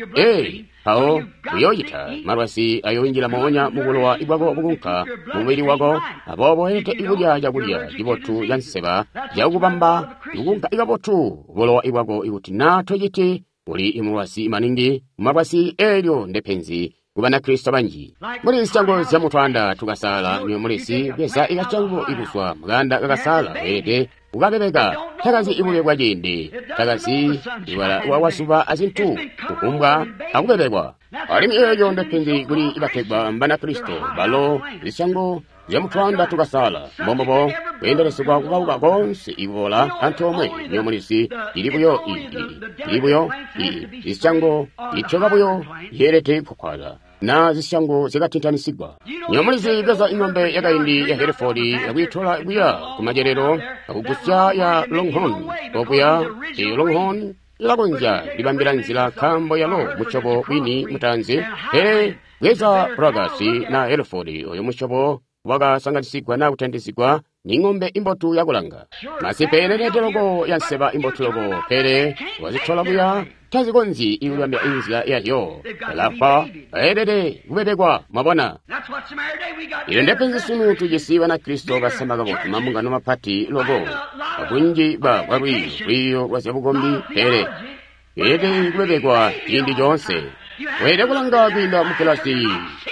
[SPEAKER 1] mpawo uyoocita malwazi ayoinjila moonya mubulowa ibwako bukunka mumubili wako. Aboobo weelede kulya cakulya cibotu ca nseba cakubamba kukunka kabotu bulowa ibwako. Ikuti naa tociti, uli mulwazi maningi mumalwazi. Eelyo ndepenzi ku Banakristo banji. Muli zisyango zya mutwanda tukasala niyo mulisi bweza ikasyango ikuzwa mukanda kakasala weelede kukabebeka. Takazi ibube bwa ciindi, takazi ibala wazuba azintu kukumbwa akubebekwa. Alimwi eelyo ndepenzi kuli bategwa Mbanakristo balo zisyango zya mutwanda tukasala. Mbombobo kweendelezegwa kukauka koonse iboola antoomwe. Niyo mulisi ili buyo ili buyo zisyango ityoka buyo yeelede kukwala na zisyango zyakatintanisigwa. Niyo mulizi bweza ing'ombe yakaindi ya Hereford akuyitola kuya kumadyerero akugusya ya Longhorn okuya. Eyo Longhorn ilakonzya libambila nzila nkaambo yalo musyobo wini mutaanzi, pele bweza Bragasi na Hereford oyo musyobo wakasanganisigwa na kutandisigwa ni ng'ombe imbotu yakulanga. Masimpe elelede loko ya nseba imbotu loko, pele wazitola kuya tazikonzyi ikulambila inzila yazyo. Alafwa aelede kubebekwa. Mwabona, ilo ndepenzi sunu. Tujisi Banakristo basama kabotu, mambungano mapati loko, abunji bwa lwiiyo lwa zyabukombi, pele elede kubebekwa ciindi coonse. Weelede kulanga kwiinda mu kilasi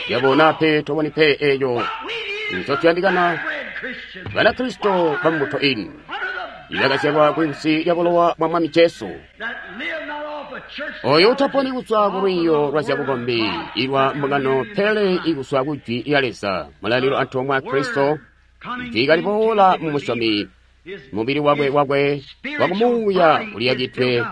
[SPEAKER 1] yabona pe toboni pe eeyo ncotuyandikana. Banakristo bambuto ini ibakazyalwa kunsi lya bulowa bwa Mwami Jesu, oyo utaponi kuzwa ku lwiiyo lwa zyabukombi ilwa mbungano, pele ikuzwa ku jwi lya Leza, mulalilo antoomwe a Kristo, jwi kaliboola mu musyomi, mubili wakwe wakumuuya uliyakidwe,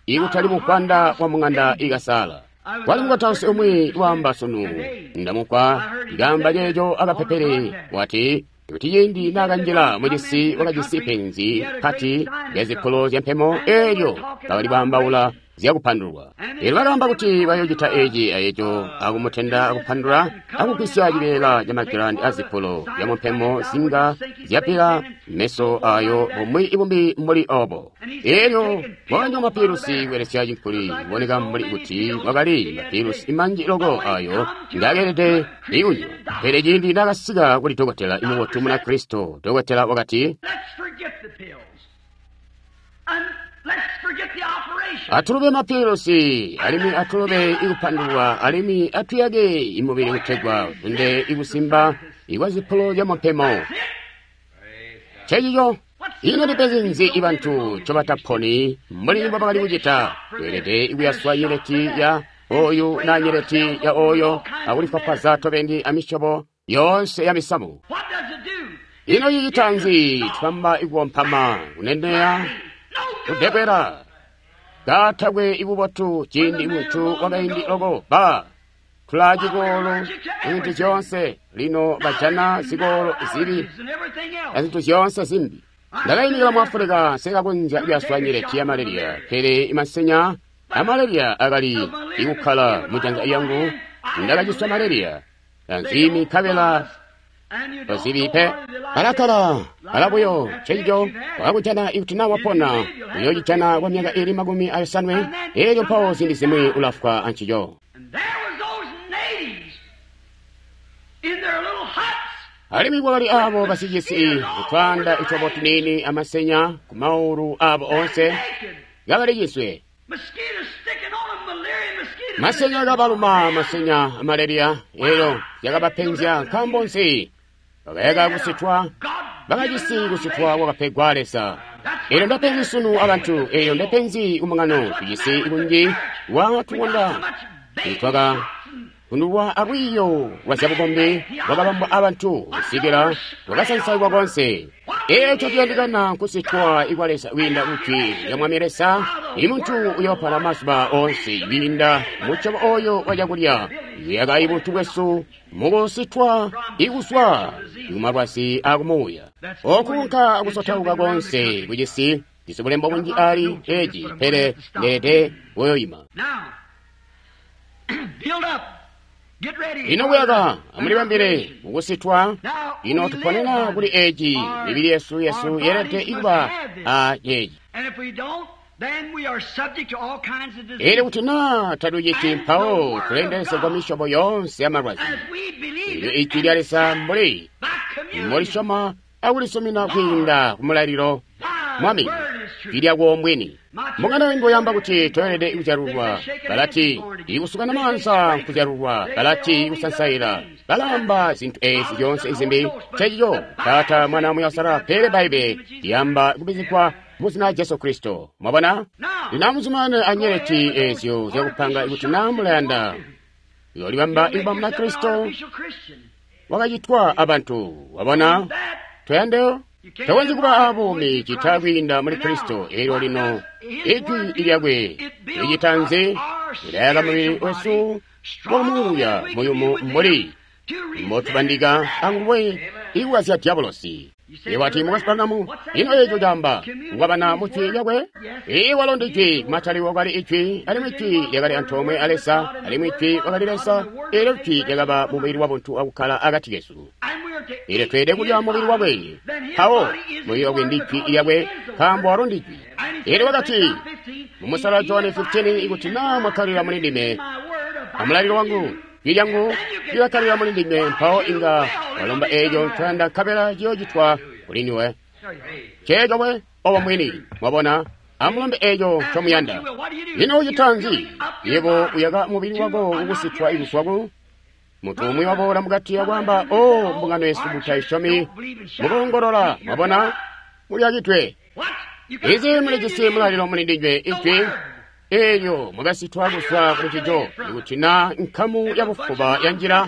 [SPEAKER 1] ikutali mukwanda wa mung'anda ikasala. Kwali mukotausi umwi waamba sunu, ndamukwa ikaamba ceeco akapepele, wati kuti ciindi naakanjila mucisi wakajisi penzi pati lya zipulo zya mpemo, eelyo bakali baambaula zyakupandulwa. Eelyo bakaamba kuti bayoocita eci ayeco, akumutenda akupandula akugwisya cibeela ca magilandi azipulo zya mumpemo zinga zyapila meso ayo bumwi ibumbi mbuli obo. Eelyo wakanywa mapilusi kubelesya cinkuli, kuboneka mbuli kuti wakali mapilusi manji loko ayo ngaakeelede ikunywa. Pele ciindi naakasika kuli dokotela imubotu Munakristo, dokotela wakati, atulube mapilusi alimwi atulube ikupandulwa alimwi atuyake imubili kutegwa uzunde ikusimba ikwa zipulo zya mumpemo. Cecico ino ndipenzi nzi ibantu ncobataponi mbuli mbobakali kucita? Tweelede ikuyaswa nyeleti ya oyu na nyeleti ya oyo akulifwafwaza tobeni amisyobo yoonse ya misamu. Ino cicita nzi? Twamba ikukompama, kuneneya, kudekwera katakwe ibubotu. Ciindi muntu wakaindi loko ba tulaa cikolo zintu zyoonse, lino bajana zikolo zibi azintu zyoonse zimbi. Ndakaimikila mu Afulika, nsekakonzya kuyaswa nyeleti ya malaria, pele imasenya a malaria akali ikukkala mujanza lyangu. Ndakaciswa malaria anzimi nkabela tozibi pe, alakala alabuyo. Cenjo wakakujana ikuti naa wapona uyocijana kwa myaka ili 50, eelyo mpawo ziindi zimwi ulafwa ancico. Alimwi kwakali aabo basicisi kutwaanda itwabo tuniini amasenya ku maulu aabo oonse kabali ciswe. Masenya akabaluma, masenya amalaria, eelyo zyakabapenzya. Nkaambo nzi? Bakayaka kusitwa, bakajisi kusitwa kwakapegwa Leza. Eelyo ndepenzi sunu abantu, eelyo ndepenzi kumungano. Tujisi kunji wa tukonda Nitwaka kundulwa alwiiyo lwa zyabukombi lwakabambwa abantu kusikila lwakasansailwa konse. Eco ciyandikana nkusitwa ikwa Leza kwiinda kujwi lya Mwami Leza. Imuntu uyoopona mazuba oonse kwiinda musyobo oyo wa cakulya. Kuyaka ibuntu bwesu mukusitwa ikuzwa kumalwazi akumuuya. Okunka akusotauka konse kucisi jisi bulembo bunji ali eci, pele ndeede kuyoima. Lino kuyaka amulibambile mukusitwa. Lino tuponena kuli eci, mibili yesu yeelede ikuba a ceeci. Elyo kuti naa tatuciti, mpawo tuleendelezegwa misyobo yoonse ya malwazi. Elyo ijwi lya Leza mbuli molisyoma akulisumina kwiinda kumulalilo Mwami, jwi lyako mbwini. Mbungano ingoyamba kuti toyelede kuzyalulwa, balati ikusukana maanza nkuzyalulwa, balati ikusansaila, balamba zintu ezi zyoonse izimbi. Cecico Taata, Mwana, Muuya Uusalala, pele Baibe liyamba kubizigwa mu zina lya Jesu Kristo. Mwabona? Lino amuzumane anyeleti ezyo zyakupanga ikuti naa mulayanda. Uyolibamba ikuba muna Kristo wakacitwa abantu. Wabona? Toyandeyo? Tokonzyi kuba abuumi cita kwiinda muli Kristo. Elyo lino ijwi lyakwe licita nzi? Lilayaka mubili wesu wakumuuya muyumu mbuli mbotubandika anguwe ikukazya diabolosi. Iwati mukasipangamo, ino eco caamba kukwabana mu jwi lyakwe? Ii, walo ndi jwi. Kumataliko kwakali ijwi, alimwi jwi lyakali antoomwe a Leza, alimwi jwi wakali Leza. Elyo jwi lyakaba mubili wabuntu akukkala akati kesu. Elyo tweelede kulya mubili wakwe. Mpawo mubili wakwe ndi jwi lyakwe, nkaambo walo ndi jwi. Elyo wakati mu Musala John 15, ikuti naa mwakkalila muli ndime amulalilo wangu, jwi lyangu lilakkalila muli ndinywe, mpawo inga walomba eco ncoyanda nkabela ciyoocitwa kuli ndiwe. Ceeco we, obo mwini. Mwabona? Amulombe eco ncomuyanda. Lino ucita nzi? Yebo uyaka mubili wako kukusitwa ikuzwa ku muntu umwi waboola mukati akwaamba, O, mbungano yesu mutaisyomi, mukoongolola. Mwabona? Muliyakidwe. Izi mulijisi mulalilo muli ndinywe, ijwi eelyo mwakasitwa kuzwa kuli ncico. Ikuti na nkamu ya bufuba yanjila,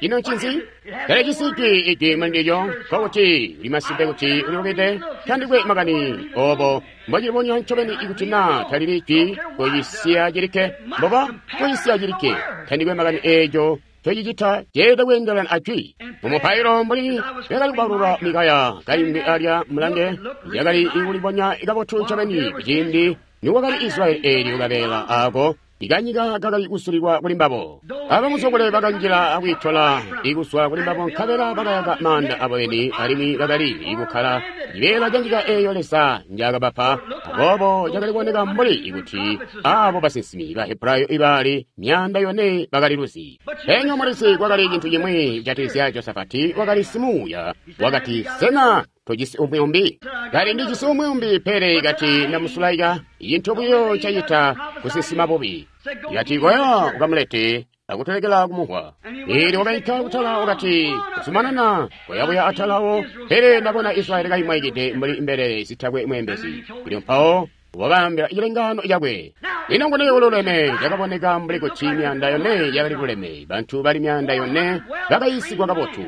[SPEAKER 1] ino ncinzi? Talijisi ijwi, ijwi muli ndilyo, nkokuti uli masimpe kuti ulilubide. Tandikwe makani obo mbocilibonya ncobeni. Ikuti na talili ijwi, koyisiya cilikke. Mboba koyisiya cilikke. Tandikwe makani eeco ncocicita, ceelede kweendelana a jwi. Mumupailo mbuli yakali kubalula Mikaya kaimbi alya, mulange, yakali kulibonya kabotu ncobeni kuciindi niwakali Israyeli. Eelyo kabeela aako ikanyika kakali kusulilwa kuli mbabo. Abamusokole bakanjila akwiitola ikuzwa kuli mbabo, nkabela bakayaka maanda abo beni, alimwi bakali kukkala cibeela ca nyika eeyo Leza njaakabapa. Aboobo cakali kuboneka mbuli kuti aabo basinsimi ba Hebrayo ibali 400 bakali luzi. Penya mulizi kwakali cintu cimwi kujatikizya Josafati, wakali simuuya. Wakati, sena tojisi umwi umbi? Kali ndijisi umwi umbi, pele kati ndamusulaika. Cintu buyo ncacita kusinsima bubi. Kati koya ukamulete akutolekela kumuhwa. Eelyo wakainka kutala, wakati kuzumanana koyabuya atalawo, pele ndabona Israyeli kaimwaikide mbuli mbelele zitakwe mweembezi. Elyo mpawo wakaambila cilengano cakwe. Lino nguni ululeme? Cakaboneka mbuli kuti 400 yakali luleme. Bantu bali 400 bakayiisigwa kabotu.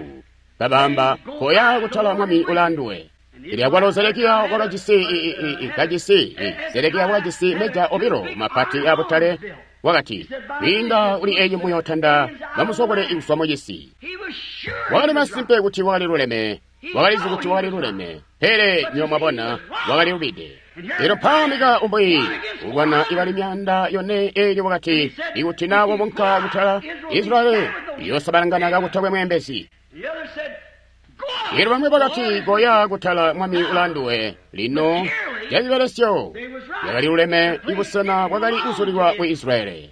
[SPEAKER 1] Babamba, koya kutala, Mwami ulaanduwe. Elyo akwalo Zedekiya wakajisi kajisi Zedekiya wakajisi meja obilo mapati abutale. Wakati, kwiinda kuli eyi muyotanda bamusokole kuzwa mucisi. Wakali masimpe kuti wakali luleme. Wakalizi kuti wakali luleme, pele nywebo mwabona, wakali lubide. Elyo mpawo Mika umwi ulwana ibali 400. Elyo wakati, ikuti na wabunka kutala, Israyeli iyosabalangana kakutakwe mweembezi. Elyo bamwi bakati, koya kutala, Mwami ulaanduwe. Lino cacibelesyo yakali luleme, ibusena bwakali kuzulilwa ku Israyeli.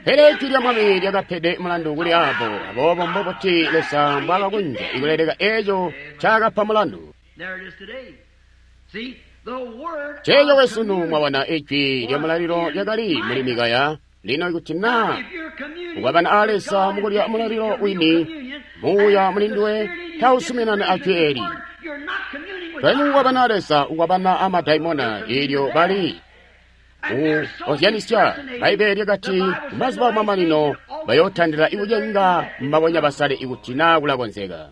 [SPEAKER 1] Pele ijwi lya Mwami lyakapede mulandu kuli abo. Aboobo mbobuti Leza mbwaakakunja ikuleleka eco ncaakapa mulandu? Ceeco wesunu, mwabona, ijwi lya mulalilo lyakali muli Mikaya. Lino ikuti na ukwabana a Leza mukulya mulalilo wini, muuya mulinduwe tausuminani a jwi eli. Twali mukukwabana a Leza, ukwabana a madaimona. Elyo bali Ozyanisya Bbaibbele lyakati mazuba amamanino bayootandila ikucenga mbabonya basale ikuti naa kulakonzeka.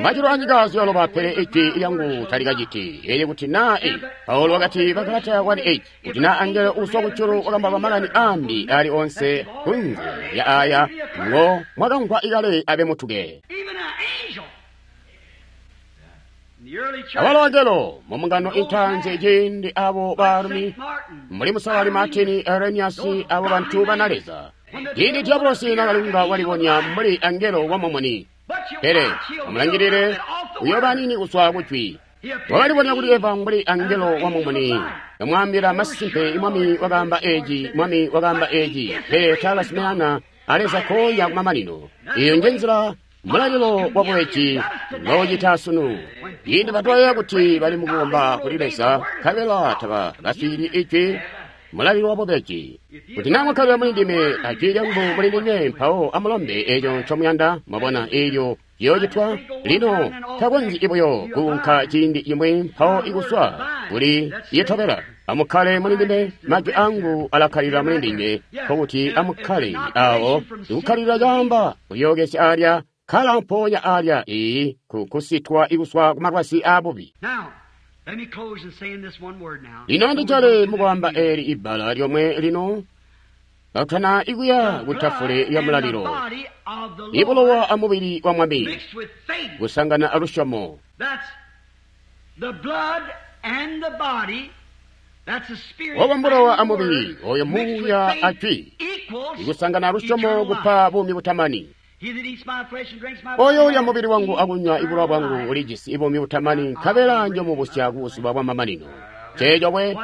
[SPEAKER 1] Majulu anyika ziyoloba pele ijwi lyangu talikaciti. Elyo kuti naa Paulo wakati Bagalata 1:8 kuti naa angelo uuzwa kujulu wakamba makani ambi ali onse kunze lya aya ngo mwakamvwa ikale abe mutuke. Awalo angelo mumungano intanze ciindi abo baalumi mbuli Musalali Martin Irenaeus abo bantu bana Leza. Ciindi Diabolosi nakalunga walibonya mbuli angelo wa mumuni. Pele amulangilile uyooba nini kuzwa kujwi. Wakalibonya kuli Eva mbuli angelo wa mumuni. Kamwaambila masimpe Mwami wakaamba eeci, Mwami wakaamba eeci, pele taakasimeana aleza koya kumamanino. Iyo njenzila mulalilo wa bubeji ngoucita sunu. Ciindi batwayeeya kuti bali mukukomba kuli Leza, nkabela tabakaswiili ijwi mulalilo wa bubeji. Kuti naa mwakkalila muli ndime ajwi lyangu muli ndinywe, mpawo amulombe eeco ncomuyanda, mwabona eelyo ciyoocitwa. Lino takonzyi buyo kuunka ciindi cimwi mpawo ikuswa kuli itobela. Amukkale muli ndime, majwi angu alakkalila muli ndinywe, nkokuti amukkale awo. Ikukkalilila caamba kulyookezya alya, kkala mpoonya alya iyi kusitwa ikuswa kumalwazi aabubi. Lino ndijale mukwaamba eeli ibbala lyomwe lino katutana ikuya ku tafule ya mulalilo. Ibulowa amubili wa Mwami kusangana alusyomo. Obo mbulowa amubili oyo muuya ajwi ikusangana alusyomo kupa buumi butamani. Oyo ulya mubili wangu akunywa ibulowa bwangu ulijisi ibuumi butamani, nkabela njomubusya kubuzuba bwa mamanino. Ceeco we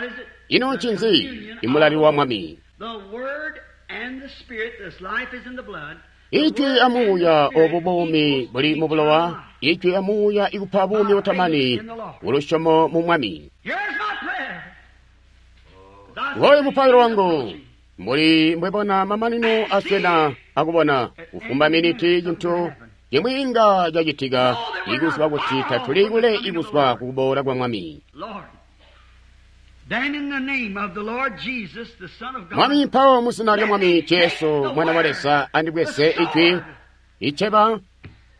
[SPEAKER 1] ino ncinzi? Imulalilo wa Mwami. Ijwi amuuya obu buumi buli mu bulowa, ijwi amuuya ikupa buumi butamani kulusyomo mu Mwami. Ngoyu mupailo wangu. Mbuli mbwebona mamanino aswena akubona kufumba miniti cintu cimwi inga cacitika ikuziba kuti tatuli kule ikuswa kukuboola kwa Mwami. Mwami mpawo muzina lya Mwami Jesu mwana wa Leza andibweze ijwi iceba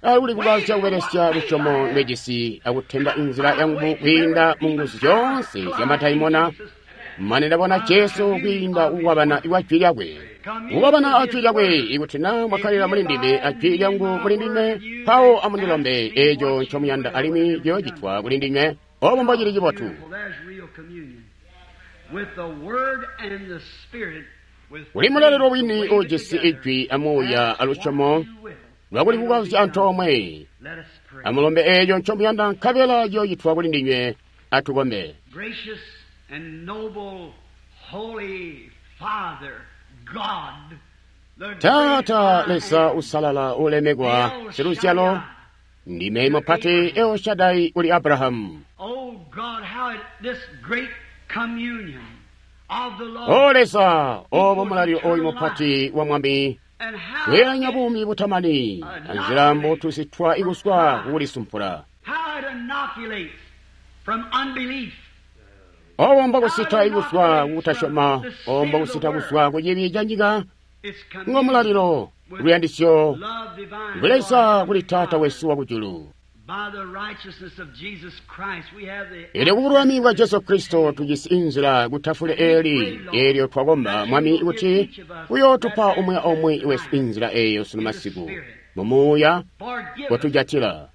[SPEAKER 1] aluli kubalya kubelesya lusyomo lwejisi akutenda inzila yangu kwiinda mu nguzu zyoonse zya madaimona mane ndabona Jesu kwiinda kukwabana kwa jwi lyakwe. Kukwabana ajwi lyakwe ikuti naa mwakkalila muli ndime ajwi lyangu muli ndinywe, mpawo amundilombe eeco ncomuyanda alimwi ciyoocitwa kuli ndinywe. Obo mbocili cibotu. Kuli mulalilo wini uujisi ijwi amuuya alusyomo lwakuli kukazya antoomwe. Amulombe eeco ncomuyanda nkabela ciyoocitwa kuli ndinywe. Atukombe. Taata Leza usalala ulemekwa siluzyalo, ndime mupati El Shaddai kuli Abrahamu. O Leza, obo mulalilo oyu mupati wa Mwami kweelanya buumi butamani anzila mbotusitwa ikuswa kukulisumpula. Obo mbokusita ikuswa kukutasyoma, obo mbokusita kuswa kucibi ca nyika, ngo mulalilo luyandisyo lwa kuli Taata wesu wakujulu. Elyo kubululami bwa Jesu Kristo tujisi inzila kutafule eeli, eelyo twakomba Mwami kuti uyootupa umwi aumwi wesu inzila eeyo sunu masiku mumuuya kotujatila.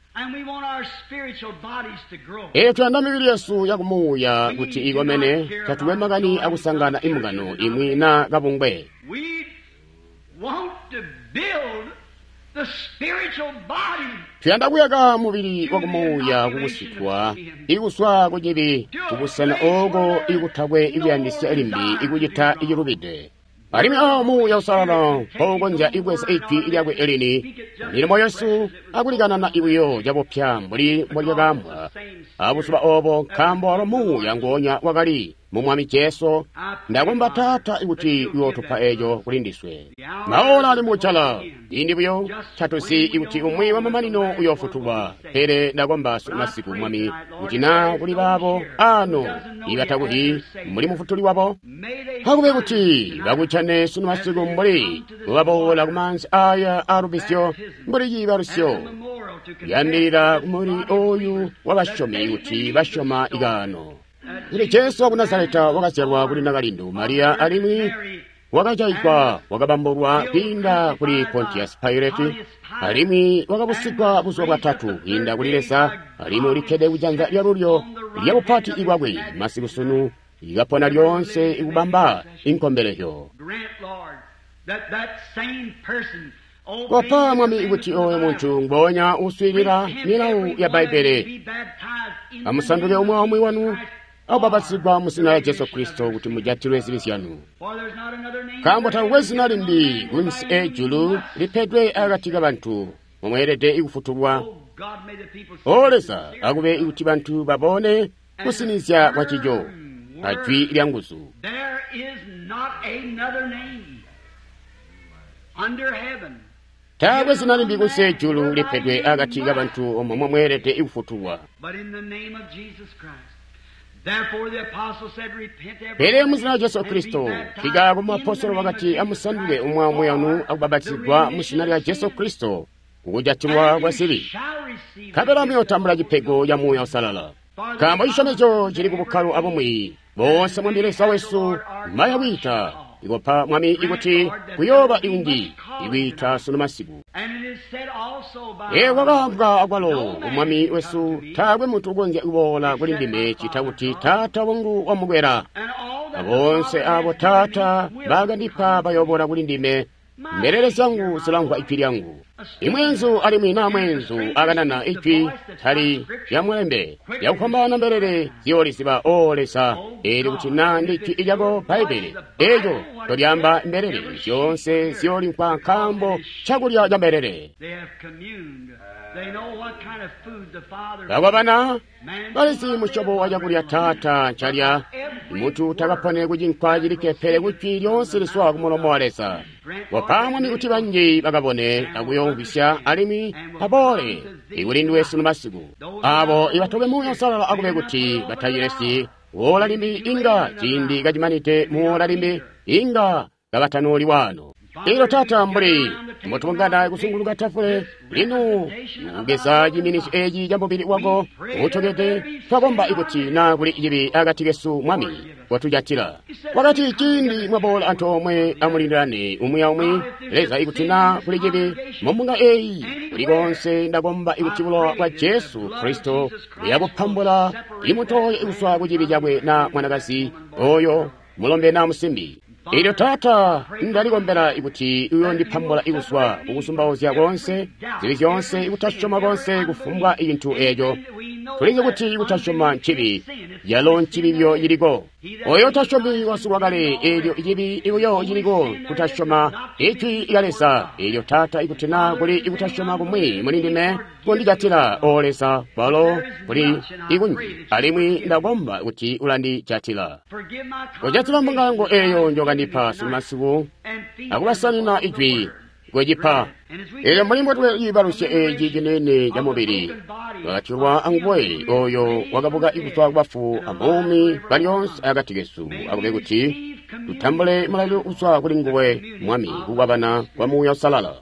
[SPEAKER 1] Elyo tuyanda mibili yesu yakumuuya kuti ikomene, tatukwe makani akusangana imbungano imwi naa kabungwe. Tuyanda kuyaka mubili wakumuuya kukusitwa ikuswa kucibi kubusena ooko ikutakwe ikuyandisya limbi ikucita icilubide. Alimwi awo muuya usalala mpoukonzya ibweza ijwi lyakwe elini milimo yesu akulikanana ibuyo cabupya mbuli mbolyakaambwa. abuzuba obo, nkaambo walo Muuya nguonya wakali mu Mwami Jesu. Ndakomba, Taata, kuti uyootupa eco kuli ndiswe. Maola ali mukujala, ciindi buyo tatuzi kuti umwi wamamanino uyoofutulwa. Pele ndakomba masiku, Mwami, kuti naa kuli baabo ano ibatakuti mbuli Mufutuli wabo, akube kuti bakujane sunu masiku mbuli mubaboola kumaanzi aya alubisyo, mbuli ciibalusyo kuyambilila kumubili oyu wabasyomi kuti basyoma ikaano kuti Jesu waku Nazareta wakazyalwa kuli nakalindu Mariya, alimwi wakajayigwa, wakabambulwa kwiinda kuli Pontius Pilate, alimwi wakabusigwa buzuba bwatatu kwiinda kuli Leza, alimwi ulikkede kujanza lyalulyo lyabupati bwakwe masiku sunu, ikapona lyoonse ikubamba inkombelezyo. Kopa, Mwami, kuti oyo muntu ngoonya uswiilila milawu ya Bbaibbele amusanduke umwi aumwi wanu akubapatizigwa mu zina lya Jesu Kristo kuti mujatilwe zibi zyanu. Nkaambo takukwe zina limbi kunsi ejulu lipedwe akati kabantu mumweelede kufutulwa. O Leza, akube kuti bantu babone kusinizya kwa cico ajwi lya nguzu. Taakwe zina limbi kunsi ejulu lipedwe akati kabantu omwe momweelede kufutulwa. Pele mu zina lya Jesu Kristo, kikaako muapostolo wakati, amusanduke umwi aumwi wanu akubapatizigwa mu zina lya Jesu Kristo kukujatilwa kwa zibi, nkabela muyootambula cipego ca Muuya Uusalala. Nkaambo cisyomezyo cili ku bukkalo abumwi boonse Mwami Leza wesu maya kwiita. Ikopa, Mwami, ikuti kuyooba ikunji ikwiita sunu masiku. Kwakaambwa akwalo Mwami wesu, taakwe muntu ukonzya kuboola kuli ndime cita kuti Taata wangu wamukwela. Aboonse abo Taata bakandipa bayoboola kuli ndime. Mbelele zyangu zilamvwa ijwi lyangu. Imweenzu alimwi naa mweenzu akanana ijwi tali lyamulembe lyakufwambaana mbelele ziyooliziba. O Leza, eelyo kuti naa ndi jwi lyako Bbaibbele eeco tolyaamba, mbelele zyoonse ziyoolimvwa, nkaambo cakulya ca mbelele. Bakwabana balizi musyobo wa cakulya Taata ncalya. Muntu takapone kucinkwa cilikke, pele kujwi lyoonse lizwa kumulomo wa Leza. Kopa, Mwami, kuti banji bakabone akuyomvwisya alimwi aboole ikulindiwe sunu masiku. Abo ibatobe Muuya Uusalala akube kuti batacilesyi woola limbi, inga ciindi kacimanide muwoola limbi inga kabatanooli waano. Elyo Taata, mbuli mbotubungana kuzunguluka tafule lino kugeza ciiminisyo eci ca mubili wako uutokede, twakomba ikuti naa kuli cibi akati kesu, Mwami, watujatila. Wakati ciindi mwaboola antoomwe amulindilane umwi aumwi. Leza, ikuti naa kuli cibi mumbunga eyi kuli konse, ndakomba ikuti bulowa bwa Jesu Kristo buyakupambula imuntu oyo kuzwa ku cibi cakwe, na mwanakazi oyo mulombe na musimbi. Elyo Taata, ndalikombela ikuti uyondipambula ikuzwa kukusumbauzya konse, zibi zyonse, ikutasyoma konse, kufumbwa icintu eco. Tulizi kuti ikutasyoma ncibi, yalo ncibi byo ciliko. Oyo utasyomi wasulwa kale, elyo icibi ibuyo ciliko kutasyoma ijwi lya Leza. Elyo Taata, ikuti naa kuli ikutasyoma kumwi muli ndime, kondijatila, O Leza, kwalo kuli ikunji, alimwi ndakomba kuti ulandijatila. Kojatila mbunga yangu eyo njokandipa sunu akubasanina ijwi kwecipa. Elyo mbuli mbotwe ciibalusyo eci cinene ca mubili wakatyolwa anguwe oyo wakabuka kuzwa kubafu abuumi balyoonse akati kesu, akube kuti tutambule mulalilo kuzwa kuli nguwe, Mwami, kukwabana kwa Muuya Uusalala.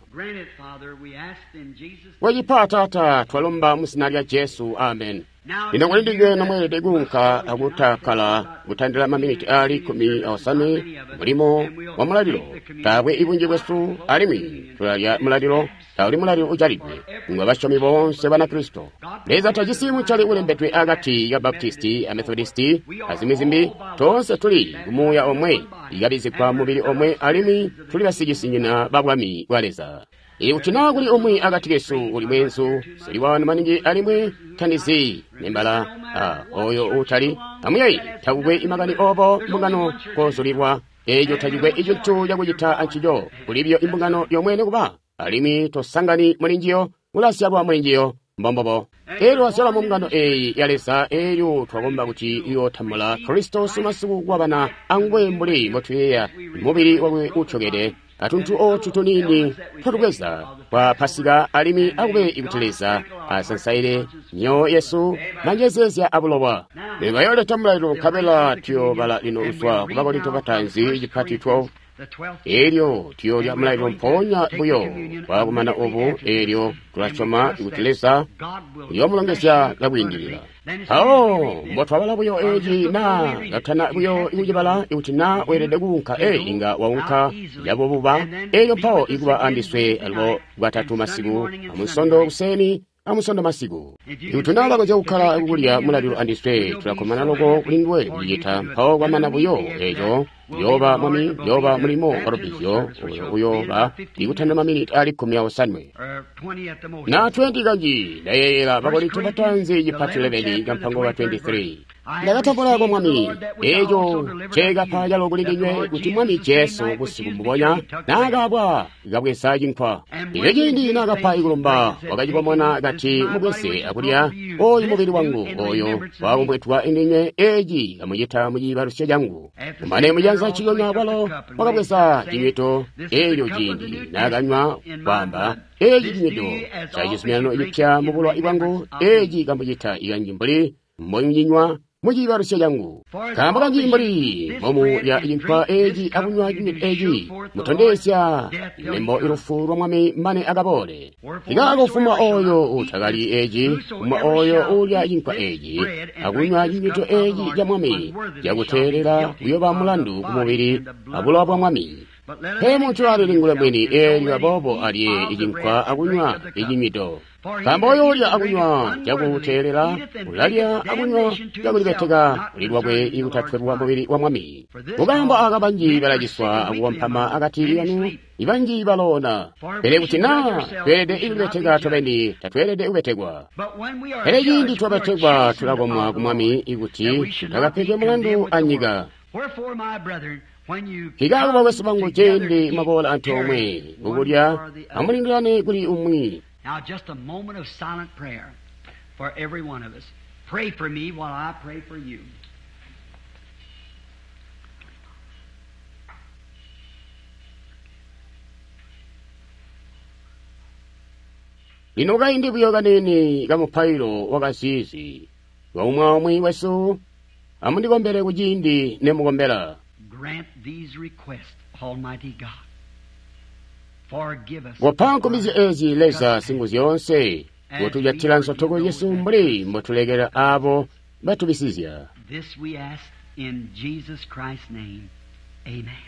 [SPEAKER 1] Kwecipa, Taata, twalomba mu zina lya Jesu, amen. Lino kuli ndinywe nomweelede kuunka akutakkala kutandila maminiti aali 15 mulimo wa mulalilo. Taakwe ibunji bwesu alimwi tulalya mulalilo, tauli mulalilo ujalidwe ngwa basyomi boonse Banakristo. Leza tajisi mucali ulembedwe akati ka Baptisti a Methodisti azimwi zimbi. Toonse tuli kumuuya omwe, ikabizigwa mubili omwe, alimwi tuli basicisinyina ba Bwami bwa Leza. Ikuti naa kuli umwi akati kesu uli mweenzu, sili wano maningi alimwi tandizi nembala oyo uutali amuyeyi, takukwe imakani obo mbungano kozulilwa, eco tacikwe icintu cakucita ancico. Kuli biyo imbungano yomwe nikuba, alimwi tosangani muli njiyo, ulazyalwa muli njiyo, mbombobo. Elyo twazyalwa mu mbungano eyi ya Leza, elyo twakomba kuti uyootambula Kristo masiku kwabana anguwe mbuli mbotuyeeya mubili wakwe utyokede atuntu otu tuniini twatubweza kwa Pasika, alimwi akube kuti Leza asansaile myoyo yesu manjezeezya abulowa. Bayooleta mulalilo nkabela tuyoobala lino kuzwa ku Bakorinto bataanzi cipati 12. Elyo tuyoolya mulalilo mpoonya buyo kwakumana obu, elyo tulasyoma kuti Leza uyoomulongezya cakwiindilila. Mpawo mbotwabala buyo eci naa katana buyo kucibala, ikuti naa weelede kuunka, inga waunka cabububa. Elyo mpawo ikuba andiswe alubo Bwatatu masiku, amunsondo kuseni, amusondo masiku. Ikuti naa bakonzya kukkala kukulya mulalilo andiswe, tulakkomana loko kuli nduwe kucicita. Mpawo kwamana buyo eco, uyooba Mwami, uyooba mulimo wa lubbizyo oyo uyooba ikutanda maminiti ali 15 na 20 kanji. Ndayeeyela Bakorinto bataanzi cipati 11 kampango ka 23. Ndakatambula kwa Mwami eco nceekapa calo kuli ndinywe, kuti Mwami Jesu busiku mbubonya naakaabwa kabweza cinkwa. Elyo ciindi naakapa ikulumba, wakacikomona kati, mubweze akulya, oyu mubili wangu oyo wakumbwetwa indinywe, eci kamucita muciibalusyo cangu. Kumane mujanza ciyonya walo wakabweza cinywido, elyo ciindi naakanywa kwaamba, eci cinywido ca cizuminano cipya mu bulowa bwangu, eci kamucita ikanji mbuli mbomucinywa muciibalusyo cangu. Nkaambo kanji mbuli mbomulya cinkwa eci akunywa cinywido eci, mutondezya lembo ilufu lwa Mwami mane akaboole. Ikaako kufuma oyo utakalyi eci, kufuma oyo uulya cinkwa eci akunywa cinywido eci ca Mwami cakuteelela uyoba mulandu ku mubili abulowa bwa Mwami. Pe muntu alilingule mwini, eelyo aboobo alye icinkwa akunywa icinywido. Nkaambo oyo ulya akunywa cakuteelela ulalya akunywa cakulibeteka kuli lwakwe ikutatwelwa mubili wa Mwami. Mukaambo aka banji balaciswa akukompama akati kanu, ibanji baloona. Pele kuti naa tweelede ikubeteka tobeni, tatweelede kubetekwa. Pele ciindi twabetekwa tulakomwa ku Mwami ikuti tutakapegwe mulandu anyika. Nkikaako bakwesu bangu, ciindi mwaboola antoomwe kukulya, amulindilane kuli umwi.
[SPEAKER 2] Now just a moment of silent prayer for every one of us. Pray for me while I pray for you.
[SPEAKER 1] Lino kaindi buyo kaniini kamupailo wakazizi waumwi wesu, amundikombele kuciindi nemukombela.
[SPEAKER 2] Grant these requests, Almighty God. Forgive us.
[SPEAKER 1] Kopa nkumbizyo ezi Leza Singuzyoonse, kutujatila nsotoko yesu mbuli mbotulekela abo batubisizya.
[SPEAKER 2] This we ask in Jesus Christ's name. Amen.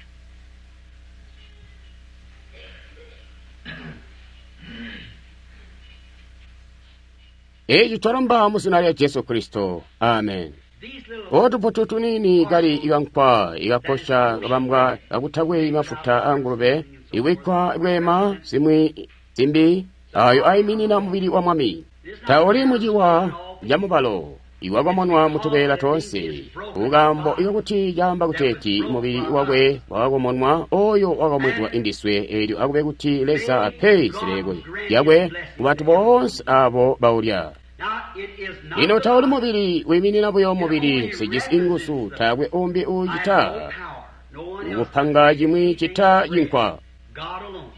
[SPEAKER 1] Eci twalomba mu zina lya Jesu Kristo. Amen.
[SPEAKER 2] These little
[SPEAKER 1] Otuputu tuniini kali ikankwa ikakosha kabambwa kakutakwe mafuta a ngulube iwikwa bwema zimwi zimbi ayo ayiminina mubili wa Mwami. Tauli muciwa ca mubalo iwakomonwa mutubeela toonse, kukambo ikakuti caamba kuteeti mubili wakwe wakakomonwa oyo wakamwetwa indiswe, elyo akube kuti Leza ape zileko lyakwe ku bantu boonse abo baulya.
[SPEAKER 2] Now it is not
[SPEAKER 1] Lino
[SPEAKER 2] the
[SPEAKER 1] tauli
[SPEAKER 2] body.
[SPEAKER 1] mubili wiiminina buyo mubili, sijisi inguzu, taakwe umbi
[SPEAKER 2] I have no
[SPEAKER 1] uucita
[SPEAKER 2] power. No one else
[SPEAKER 1] kupanga chimwi chita chinkwa.
[SPEAKER 2] God alone.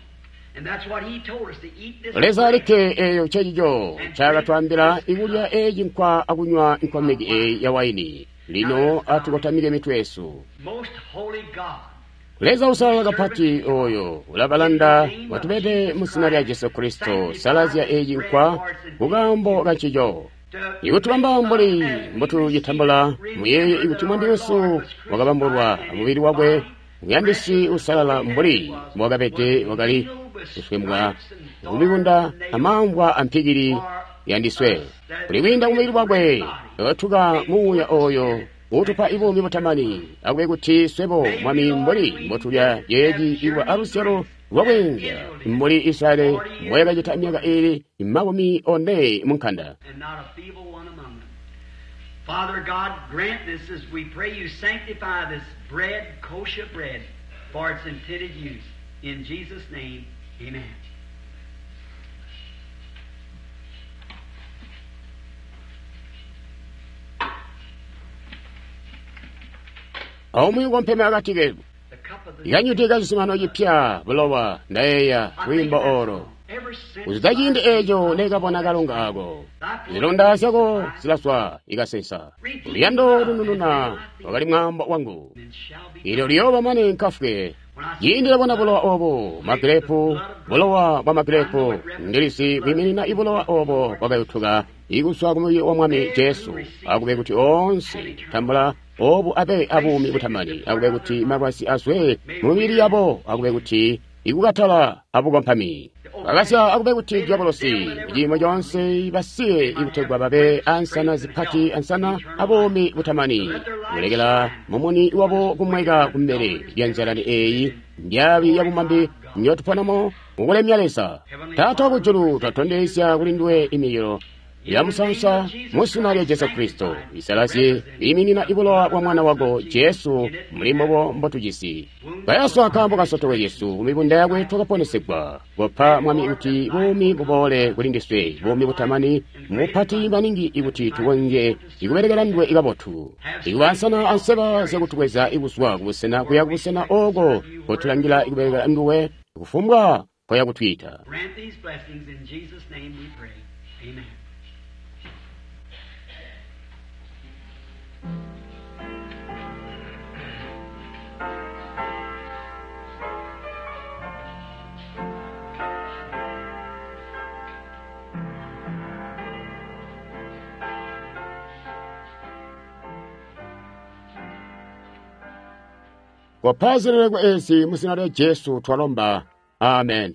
[SPEAKER 2] And that's what he told us to eat this
[SPEAKER 1] Leza
[SPEAKER 2] bread.
[SPEAKER 1] alikke eyo chechicho chakatwambila ikulya eyi chinkwa akunywa nkomeki eyi ya waini. Lino atukotamike mitwe yesu.
[SPEAKER 2] Most holy God.
[SPEAKER 1] Leza usalala kapati oyo ulabalanda watubede mu zina lya Jesu Kristo, salazya eyi chinkwa kukambo kachicho. Ikutubamba mbuli mbotucitambula, muyeye ikuti Mwami wesu wakabambulwa mubili wakwe muyandisi usalala mbuli mbwakabede wakali kuswembwa kumikunda amamvwa ampikili yandiswe. Kuli kwiinda kumubili wakwe tuka muuya oyo utupa ibuumi butamani, akube kuti swebo Mwami mbuli mbotulya yeeci ilwa alusyalo lwakwenza mbuli Israeli mboyakacita myaka ili 40 munkanda.
[SPEAKER 2] And not a feeble one among them. Father God, grant this as we pray you sanctify this bread, kosher bread, for its intended use. In Jesus' name, amen.
[SPEAKER 1] Aumwi ukompeme akati kesu. Ikanyuti kacizuminano cipya bulowa ndayeeya lwiimbo olo. Kuzwida ciindi eeco nekabona kalonga ako, zilonda zyako zilaswa ikasensa. Luyando lunununa wakali mwaambo wangu. Ilyo liyooba mane nkafwe. Ciindi ndabona bulowa obo magirepu, bulowa bwa magirepu, ndilisi kwiiminina ibulowa obo bwakayutuka ikuzwa ku mubili wa Mwami Jesu. Akube kuti oonse tambula obu abe abuumi butamani, akube kuti malwazi azwe mu mibili yabo, akube kuti ikukatala abukompami. Bakasya akube kuti dyabolosi ciimo conse basiye ikutegwa babe ansana zipati ansana abuumi butamani, kulekela mumuni wabo kumweka kumbele lya nzalani eeyi ndyabi yabumambi nyotuponamo mukulemya Leza. Taata wakujulu, twatondezya kuli nduwe imililo ya musansa mu zina lya Jesu Kristo, isalazye iiminina ibulowa bwa mwana wako Jesu muli mbobo mbotujisi. Kayaswa nkaambo kasotoko Yesu kumibunda yakwe twakaponesegwa. Kopa Mwami kuti buumi buboole kuli ndiswe, buumi butamani mupati maningi ikuti tukonzye ikubelekela nduwe ikabotu, ikuba ansana anseba zyakutukweza ikuzwa kubusena kuya kubusena oko kotulangila ikubelekela nduwe kufumbwa koya kutwiita.
[SPEAKER 2] Grant these blessings in Jesus' name we pray. Amen.
[SPEAKER 1] Kopa zileleko ezi mu zina lya Jesu twalomba. Amen.